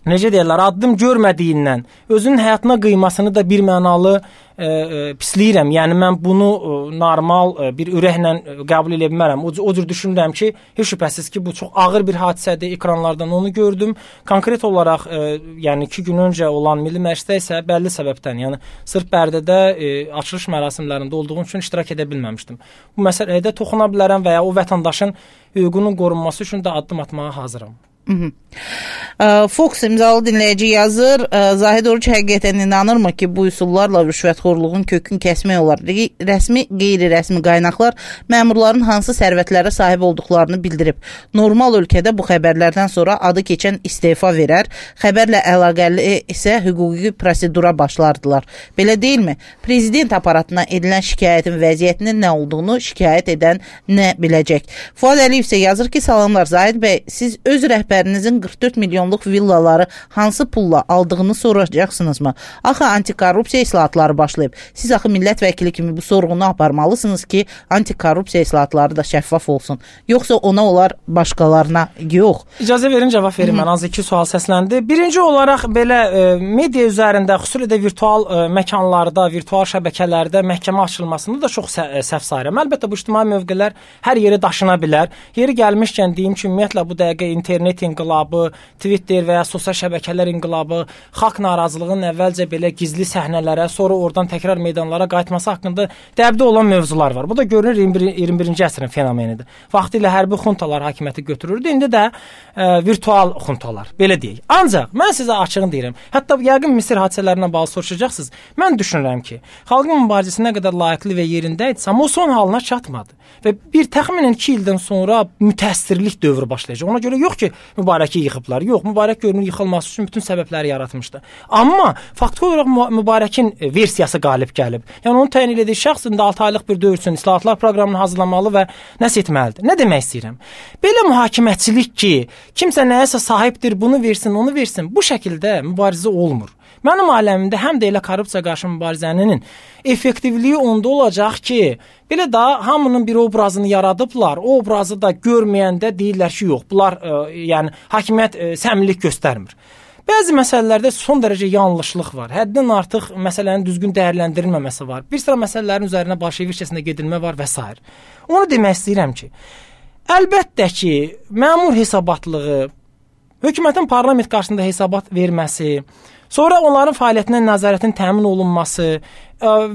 C: necə deyirlər, addım görmədiyindən özünün həyatına qıymasını da bir mənalı e, e, pisləyirəm. Yəni mən bunu e, normal e, bir ürəklə qəbul edə bilmərəm. O, o cür düşünürəm ki, heç şübhəsiz ki, bu çox ağır bir hadisədir. Ekranlardan onu gördüm. Konkret olaraq e, yəni iki gün öncə olan Milli Məclisdə isə bəlli səbəbdən, yəni sırf Bərdədə e, açılış mərasimlərində olduğum üçün iştirak edə bilməmişdim. Bu məsələyə də toxuna bilərəm və ya o vətəndaşın hüququnun qorunması üçün də addım atmağa hazıram.
B: Fox imzalı dinləyici yazır. Zahid Oruc həqiqətən inanırmı ki, bu üsullarla rüşvətxorluğun kökünü kəsmək olar? Rəsmi, qeyri-rəsmi qaynaqlar məmurların hansı sərvətlərə sahib olduqlarını bildirib. Normal ölkədə bu xəbərlərdən sonra adı keçən istefa verər, xəbərlə əlaqəli isə hüquqi prosedura başlardılar. Belə deyilmi? Prezident aparatına edilən şikayətin vəziyyətinin nə olduğunu şikayət edən nə biləcək? Fuad Əliyev isə yazır ki, salamlar Zahid bəy, siz öz rəhbərinizin qırx dörd milyonluq villaları hansı pulla aldığını soracaqsınızmı? Axı antikorrupsiya islahatları başlayıb. Siz axı millət vəkili kimi bu sorğunu aparmalısınız ki, antikorrupsiya islahatları da şəffaf olsun. Yoxsa ona olar, başqalarına yox.
C: İcazə verin, cavab verin. Mən az iki sual səsləndi. Birinci olaraq belə e, media üzərində, xüsusilə də virtual e, məkanlarda, virtual şəbəkələrdə məhkəmə açılmasını da çox sə səhv sayıram. Əlbəttə bu ictimai mövqelər hər yeri daşına bilər. Yeri gəlmişkən deyim ki, ümumiyyətlə bu dəqiqə internet inqilabı, Twitter və ya sosial şəbəkələr inqilabı, xalq narazılığının əvvəlcə belə gizli səhnələrə, sonra oradan təkrar meydanlara qayıtması haqqında dəbdə olan mövzular var. Bu da görünür iyirmi birinci əsrin fenomenidir. Vaxtilə hərbi xuntalar hakimiyyəti götürürdü, indi də e, virtual xuntalar, belə deyək. Ancaq mən sizə açığını deyirəm. Hətta yəqin Misir hadisələrinə bağlı soruşacaqsınız. Mən düşünürəm ki, xalqın mübarizəsi nə qədər layiqli və yerində idi, amma o son halına çatmadı. Və bir təxminən iki ildən sonra mütəəssirlik dövrü başlayacaq. Ona görə yox ki, Mübarəki yıxıblar. Yox, Mübarək görünür yıxılması üçün bütün səbəbləri yaratmışdı. Amma faktiki olaraq Mübarəkin versiyası qalib gəlib. Yəni onun təyin etdiyi şəxs indi altı aylıq bir dövr üçün islahatlar proqramını hazırlamalı və nəsə etməlidir. Nə demək istəyirəm? Belə mühakiməçilik ki, kimsə nəyəsə sahibdir, bunu versin, onu versin, bu şəkildə mübarizə olmur. Mənim aləmimdə həm də elə korrupsiya qarşı mübarizənin effektivliyi onda olacaq ki, belə da hamının bir obrazını yaradıblar. O obrazı da görməyəndə deyirlər ki, yox, bunlar ə, yəni hakimiyyət ə, səmimilik göstərmir. Bəzi məsələlərdə son dərəcə yanlışlıq var. Həddən artıq məsələnin düzgün dəyərləndirilməməsi var. Bir sıra məsələlərin üzərinə bolşevikçəsinə gedilmə var və s. Onu demək istəyirəm ki, əlbəttə ki, məmur hesabatlığı, hökumətin parlament qarşısında hesabat verməsi, sonra onların fəaliyyətinə nəzarətin təmin olunması,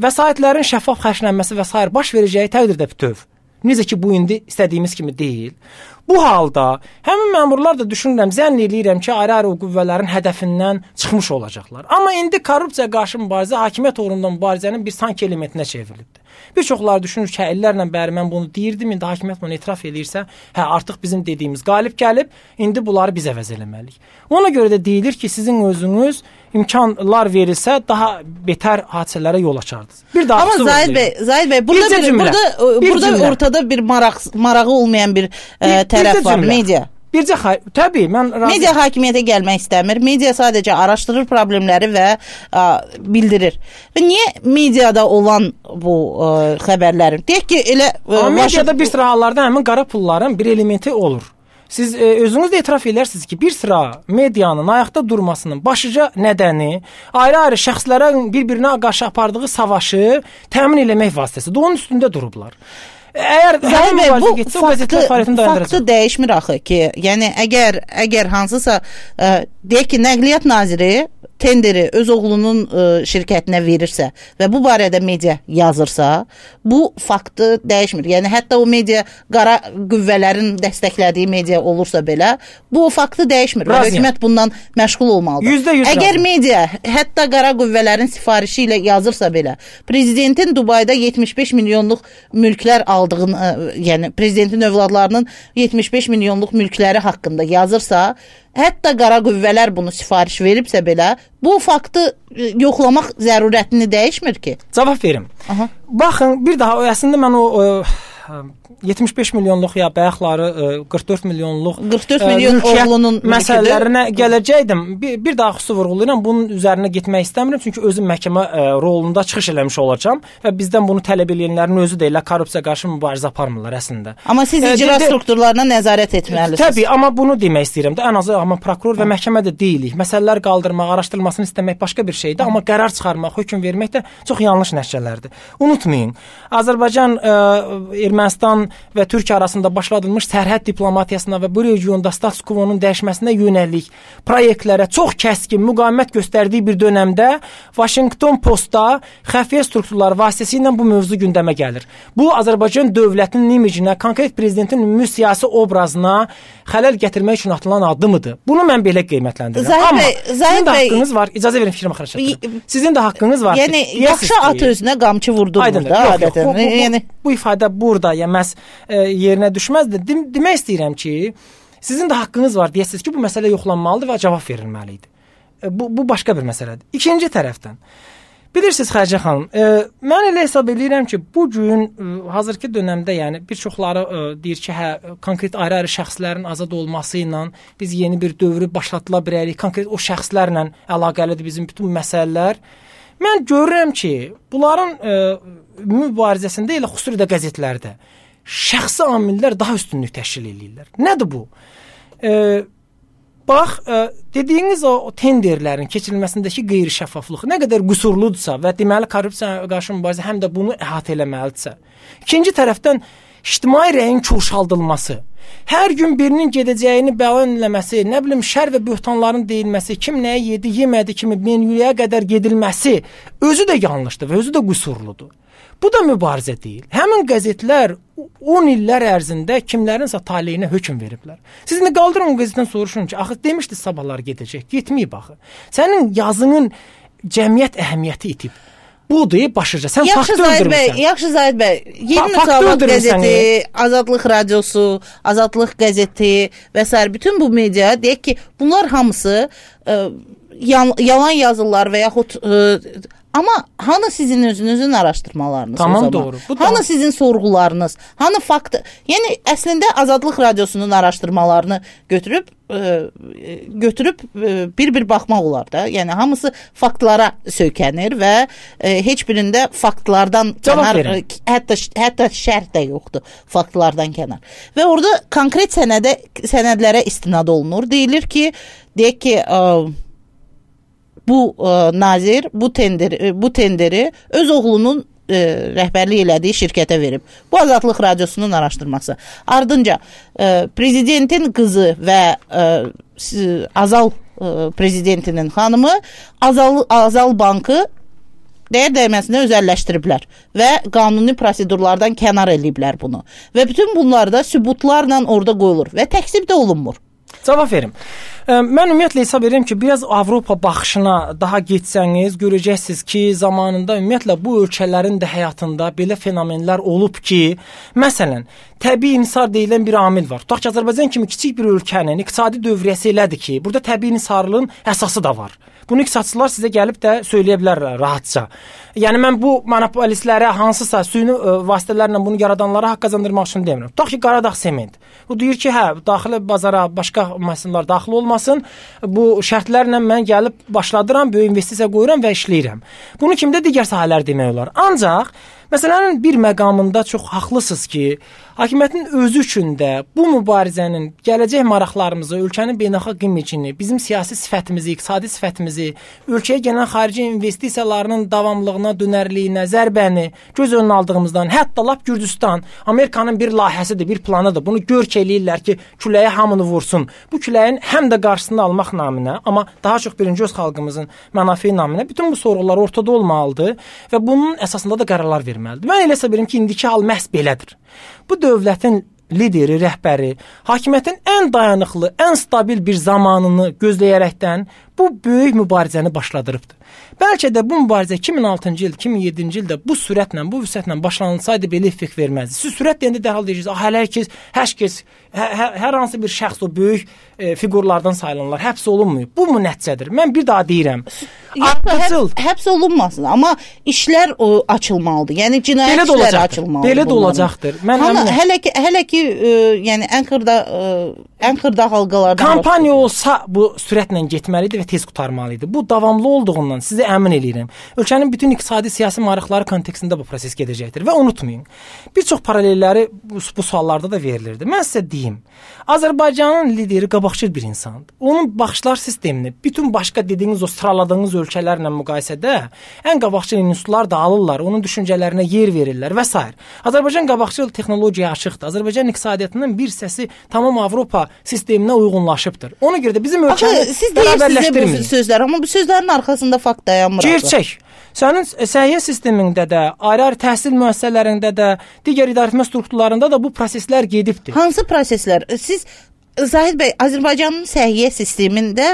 C: vəsaitlərin şəffaf xərclənməsi və s. baş verəcəyi təqdirdə bütöv. Necə ki, bu indi istədiyimiz kimi deyil. Bu halda həmin məmurlar da düşünürəm, zənn eləyirəm ki, ayrı-ayrı qüvvələrin hədəfindən çıxmış olacaqlar. Amma indi korrupsiya qarşı mübarizə hakimiyyət uğrunda mübarizənin bir sanki elementinə çevrilibdir. Bir çoxları düşünür ki, illərlə bəri mən bunu deyirdim, indi hakimiyyət bunu etiraf edirsə, hə, artıq bizim dediyimiz qalib gəlib, indi bunları biz əvəz eləməliyik. Ona görə də deyilir ki, sizin özünüz imkanlar verilsə, daha betər hadisələrə yol açardınız. Bir daha
B: Amma Zahid bəy, Zahid bəy, burada bir, bir burada bir burada cümlə. Ortada bir maraq marağı olmayan bir, bir ə, tərəf var, media.
C: Bircə təbii mən razı.
B: Media hakimiyyətə gəlmək istəmir. Media sadəcə araşdırır problemləri və ə, bildirir. Və niyə mediada olan bu ə, xəbərlərin? Deyək ki, elə
C: ə, mediada bir sıra hallarda həmin qara pulların bir elementi olur. Siz e, özünüz də etiraf edərsiniz ki, bir sıra medianın ayaqda durmasının başlıca nədəni ayrı-ayrı şəxslərin bir-birinə qarşı apardığı savaşı təmin eləmək vasitəsidir. Onun üstündə durublar. Əgər
B: Zahid bəy, bu getsə, faktı, faktı dəyişmir axı ki, yəni əgər əgər hansısa ə, deyək ki, Nəqliyyat Naziri tenderi öz oğlunun ə, şirkətinə verirsə və bu barədə media yazırsa, bu faktı dəyişmir. Yəni hətta o media qara qüvvələrin dəstəklədiyi media olursa belə, bu faktı dəyişmir. Və hökumət bundan məşğul olmalıdır.
C: yüzdə yüz
B: Əgər
C: razı.
B: media hətta qara qüvvələrin sifarişi ilə yazırsa belə, prezidentin Dubayda yetmiş beş milyonluq mülklər aldığını, yəni prezidentin övladlarının yetmiş beş milyonluq mülkləri haqqında yazırsa, hətta qara qüvvələr bunu sifariş veribsə belə, bu faktı yoxlamaq zərurətini dəyişmir ki.
C: Cavab verim. Aha. Baxın, bir daha əslində mən o, o yetmiş beş milyonluq ya bayaqları qırx dörd milyonluq
B: qırx dörd milyon oğlunun
C: məsələlərinə gələcəkdim. Bir, bir daha xüsusi vurğulayıram. Bunun üzərinə getmək istəmirəm, çünki özüm məhkəmə ə, rolunda çıxış eləmiş olacağam və bizdən bunu tələb edənlərin özü də elə korrupsiya qarşı mübarizə aparmırlar əslində.
B: Amma siz icra e, strukturlarına nəzarət etməlisiniz.
C: Təbii, amma bunu demək istəyirəm də, ən azı amma prokuror və məhkəmə də deyilik. Məsələlər qaldırmaq, araşdırılmasını istəmək başqa bir şeydir, amma qərar çıxarmaq, hökm vermək də çox yanlış nəticələrdir. Unutmayın, Azərbaycan, ə, Ermənistan və Türkiyə arasında başladılmış sərhəd diplomatiyasına və bu regionda status quo-nun dəyişməsinə yönəlik proyektlərə çox kəskin müqavimət göstərdiyi bir dönəmdə Washington Postda xəfiyyə strukturları vasitəsilə bu mövzu gündəmə gəlir. Bu Azərbaycan dövlətinin imicinə, konkret prezidentin ümumi siyasi obrazına xələl gətirmək üçün atılan addımıdır. Bunu mən belə qiymətləndirirəm.
B: Zahid
C: Amma
B: bəy,
C: sizin də haqqınız var. İcazə verin fikrimi axıra çatdırım. Sizin də haqqınız var.
B: Yəni ki, yaxşı at özünə qamçı vurdurmur da adətən.
C: Bu, bu, bu,
B: yəni
C: bu ifadə burada yeməz e, yerinə düşməz də dem demək istəyirəm ki, sizin də haqqınız var deyəsiniz ki, bu məsələ yoxlanmalıdır və cavab verilməli idi. E, bu bu başqa bir məsələdir. İkinci tərəfdən bilirsiniz Xədicə xanım, e, mən elə hesab edirəm ki, bu gün e, hazırki dövrdə, yəni bir çoxları e, deyir ki, hə konkret ayrı-ayrı şəxslərin azad olması ilə biz yeni bir dövrü başlatıla bilərik. Konkret o şəxslərlə əlaqəlidir bizim bütün məsələlər. Mən görürəm ki, bunların e, mübarizəsində elə xüsusi də qəzetlərdə şəxsi amillər daha üstünlük təşkil edirlər. Nədir bu? E, bax, e, dediyiniz o, o tenderlərin keçirilməsindəki qeyri-şəffaflıq nə qədər qüsurludursa və deməli korrupsiya qarşı mübarizə həm də bunu əhatə eləməlidirsə, ikinci tərəfdən ictimai rəyin çoxaldılması, hər gün birinin gedəcəyini bəyan eləməsi, nə bilim şər və böhtanların deyilməsi, kim nəyə yedi, yemədi kimi menyuya qədər gedilməsi özü də yanlışdır və özü də qüsurludur. Bu da mübarizə deyil. Həmin qəzetlər on illər ərzində kimlərinsə taleyinə hökm veriblər. Siz nə qaldırın o qəzetdən soruşun ki, axı demişdi sabahlar gedəcək, getməyib axı. Sənin yazının cəmiyyət əhəmiyyəti itib. budur başıca. Sən
B: yaxşı
C: faktı
B: Zahid bəy,
C: öldürmüsən.
B: yaxşı Zahid bəy. Yeni
C: Fa
B: Müsavat qəzeti, Azadlıq radiosu, Azadlıq qəzeti və s. bütün bu media deyək ki, bunlar hamısı ə, yalan yazırlar və yaxud ə, amma hanı sizin özünüzün araşdırmalarınız
C: tamam,
B: o zaman?
C: Doğru. Bu
B: hanı
C: da...
B: sizin sorğularınız? Hanı fakt? Yəni əslində Azadlıq radiosunun araşdırmalarını götürüb ə, götürüb bir-bir baxmaq olar da. Yəni hamısı faktlara söykənir və ə, heç birində faktlardan kənar, hətta hətta şərh də yoxdur faktlardan kənar. Və orada konkret sənədə sənədlərə istinad olunur. Deyilir ki, deyək ki, ə, bu ə, nazir bu tenderi bu tenderi öz oğlunun ə, rəhbərlik elədiyi şirkətə verib. Bu Azadlıq radiosunun araşdırması. Ardınca ə, prezidentin qızı və ə, Azal ə, prezidentinin xanımı Azal Azal bankı dəyər dəyməsinə özəlləşdiriblər və qanuni prosedurlardan kənar eləyiblər bunu. Və bütün bunlar da sübutlarla orada qoyulur və təkzib də olunmur.
C: Cavab verim. Mən ümumiyyətlə hesab edirəm ki, biraz Avropa baxışına daha getsəniz, görəcəksiniz ki, zamanında ümumiyyətlə bu ölkələrin də həyatında belə fenomenlər olub ki, məsələn, təbii insar deyilən bir amil var. Tutaq ki, Azərbaycan kimi kiçik bir ölkənin iqtisadi dövriyyəsi elədir ki, burada təbii insarlığın əsası da var. Bunu iqtisadçılar sizə gəlib də söyləyə bilərlər rahatca. Yəni mən bu monopolistlərə hansısa süni ə, vasitələrlə bunu yaradanlara haqq qazandırmaq üçün demirəm. Tutaq ki, Qaradağ Sement. Bu deyir ki, hə, daxili bazara başqa məsələlər daxil olmasın. Bu şərtlərlə mən gəlib başladıram, böyük investisiya qoyuram və işləyirəm. Bunu kimdə digər sahələr demək olar. Ancaq məsələnin bir məqamında çox haqlısınız ki, hakimiyyətin özü üçün də bu mübarizənin gələcək maraqlarımızı, ölkənin beynəlxalq imicini, bizim siyasi sifətimizi, iqtisadi sifətimizi, ölkəyə gələn xarici investisiyalarının davamlılığına, dönərliyinə, zərbəni göz önünə aldığımızdan, hətta lap Gürcüstan, Amerikanın bir layihəsidir, bir planıdır. Bunu görk eləyirlər ki, küləyə hamını vursun. Bu küləyin həm də qarşısını almaq naminə, amma daha çox birinci öz xalqımızın mənafi naminə bütün bu sorğular ortada olmalıdır və bunun əsasında da qərarlar verməlidir. Mən elə hesab edirəm ki, indiki hal məhz belədir. Bu dövlətin lideri, rəhbəri, hakimiyyətin ən dayanıqlı, ən stabil bir zamanını gözləyərəkdən bu böyük mübarizəni başladırıbdır. Bəlkə də bu mübarizə iki min altıncı il, iki min yeddinci ildə bu sürətlə, bu vüsətlə başlanılsaydı belə effekt verməzdi. Siz sürət deyəndə dərhal deyirsiniz, ah, hər kəs, hər kəs, hər, hər hansı bir şəxs o böyük e, fiqurlardan sayılanlar həbs olunmuyor. Bu mu nəticədir? Mən bir daha deyirəm.
B: Ardıcıl həbs, həbs olunmasın, amma işlər o, açılmalıdır. Yəni cinayət işləri açılmalıdır.
C: Belə də olacaqdır. Mən
B: Hanı, hələ ki, hələ ki e, yəni ən xırda e, ən xırda halqalardan
C: kampaniya olsa bu sürətlə getməlidir və tez qurtarmalıdır. Bu davamlı olduğundan sizə əmin eləyirəm. Ölkənin bütün iqtisadi siyasi maraqları kontekstində bu proses gedəcəkdir və unutmayın. Bir çox paralelləri bu, bu suallarda da verilirdi. Mən sizə deyim. Azərbaycanın lideri qabaqcıl bir insandır. Onun baxışlar sistemini bütün başqa dediyiniz o sıraladığınız ölkələrlə müqayisədə ən qabaqcıl institutlar da alırlar, onun düşüncələrinə yer verirlər və s. Azərbaycan qabaqcıl texnologiyaya açıqdır. Azərbaycan iqtisadiyyatının bir hissəsi tamam Avropa sisteminə uyğunlaşıbdır. Ona görə də bizim ölkəmiz bərabərləşdirmir.
B: Bu sözlər, amma bu sözlərin arxasında fakt dayanmır.
C: Gerçək. Sənin səhiyyə sistemində də, ayrı-ayrı təhsil müəssisələrində də, digər idarəetmə strukturlarında da bu proseslər gedibdir.
B: Hansı proseslər? Siz Zahid bəy, Azərbaycanın səhiyyə sistemində,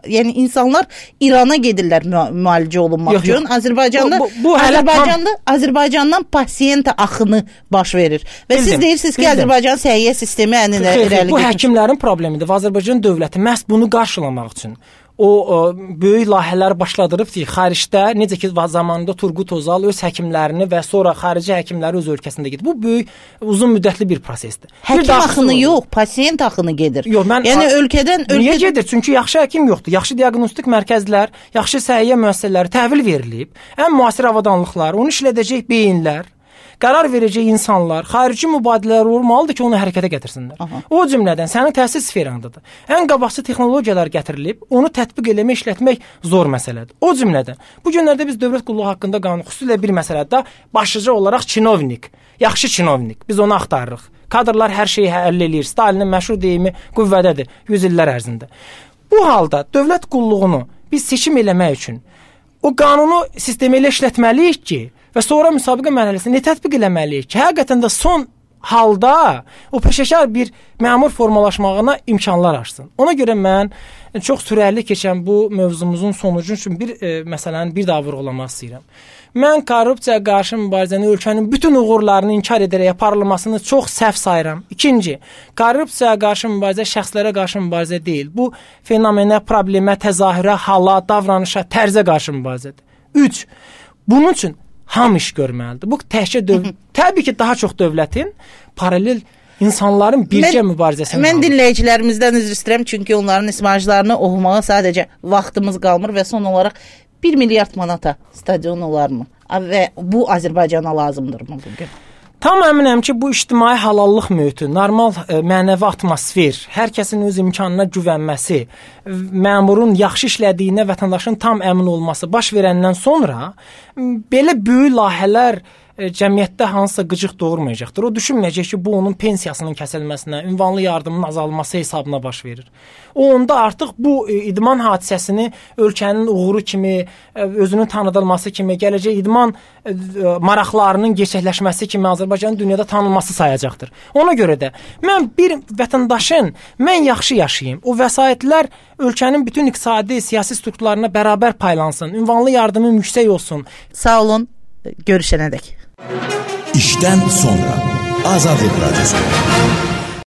B: yəni insanlar İrana gedirlər müalicə olunmaq üçün. Azərbaycanda bu, bu, bu Azərbaycanda tam... Azərbaycandan pasiyent axını baş verir. Və bildim, siz deyirsiniz ki, bildim. Azərbaycan səhiyyə sistemi ən irəli.
C: Bu həkimlərin problemidir. Azərbaycan dövləti məhz bunu qarşılamaq üçün o, o böyük layihələr başladırıb ki, xaricdə necə ki zamanında Turgut Özal öz həkimlərini və sonra xarici həkimləri öz ölkəsində gedir. Bu böyük uzun müddətli bir prosesdir.
B: Həkim bir axını olur. Yox, pasiyent axını gedir.
C: Yox, mən
B: yəni ölkədən
C: ölkə... Niyə
B: ölkə...
C: gedir? Çünki yaxşı həkim yoxdur. Yaxşı diaqnostik mərkəzlər, yaxşı səhiyyə müəssisələri təhvil verilib. Ən müasir avadanlıqlar, onu işlədəcək beyinlər, qərar verəcək insanlar, xarici mübadilələr olmalıdır ki, onu hərəkətə gətirsinlər. Aha. O cümlədən sənin təhsil sferandadır. Ən qabaqcıl texnologiyalar gətirilib, onu tətbiq eləmək, işlətmək zor məsələdir. O cümlədən bu günlərdə biz dövlət qulluğu haqqında qanun xüsusilə bir məsələdə başlıca olaraq çinovnik, yaxşı çinovnik, biz onu axtarırıq. Kadrlar hər şeyi həll eləyir. Stalinin məşhur deyimi qüvvədədir yüz illər ərzində. Bu halda dövlət qulluğunu biz seçim eləmək üçün o qanunu sistemi ilə işlətməliyik ki, və sonra müsabiqə mərhələsində tətbiq eləməliyik ki, həqiqətən də son halda o peşəkar bir məmur formalaşmağına imkanlar açsın. Ona görə mən çox sürətli keçən bu mövzumuzun sonucu üçün bir e, məsələni bir daha vurğulamaq istəyirəm. Mən korrupsiyaya qarşı mübarizəni ölkənin bütün uğurlarını inkar edərək aparılmasını çox səhv sayıram. İkinci, korrupsiyaya qarşı mübarizə şəxslərə qarşı mübarizə deyil. Bu fenomenə, problemə, təzahürə, hala, davranışa, tərzə qarşı mübarizədir. Üç, bunun üçün hamı iş görməlidir. Bu təkcə döv təbii ki, daha çox dövlətin paralel insanların bircə mən, mübarizəsini
B: Mən dinləyicilərimizdən üzr istəyirəm, çünki onların ismajlarını oxumağa sadəcə vaxtımız qalmır və son olaraq bir milyard manata stadion olarmı? Və bu Azərbaycana lazımdırmı bugün?
C: Tam əminəm ki, bu ictimai halallıq mühiti, normal e, mənəvi atmosfer, hər kəsin öz imkanına güvənməsi, məmurun yaxşı işlədiyinə vətəndaşın tam əmin olması baş verəndən sonra belə böyük layihələr e, cəmiyyətdə hansısa qıcıq doğurmayacaqdır. O düşünməyəcək ki, bu onun pensiyasının kəsilməsinə, ünvanlı yardımın azalması hesabına baş verir. O onda artıq bu e, idman hadisəsini ölkənin uğuru kimi, e, özünün tanıdılması kimi, gələcək idman e, maraqlarının gerçəkləşməsi kimi Azərbaycanın dünyada tanınması sayacaqdır. Ona görə də mən bir vətəndaşın mən yaxşı yaşayayım, o vəsaitlər ölkənin bütün iqtisadi, siyasi strukturlarına bərabər paylansın, ünvanlı yardımım yüksək olsun.
B: Sağ olun, görüşənədək.
A: İşdən sonra Azadlıq Radiosu.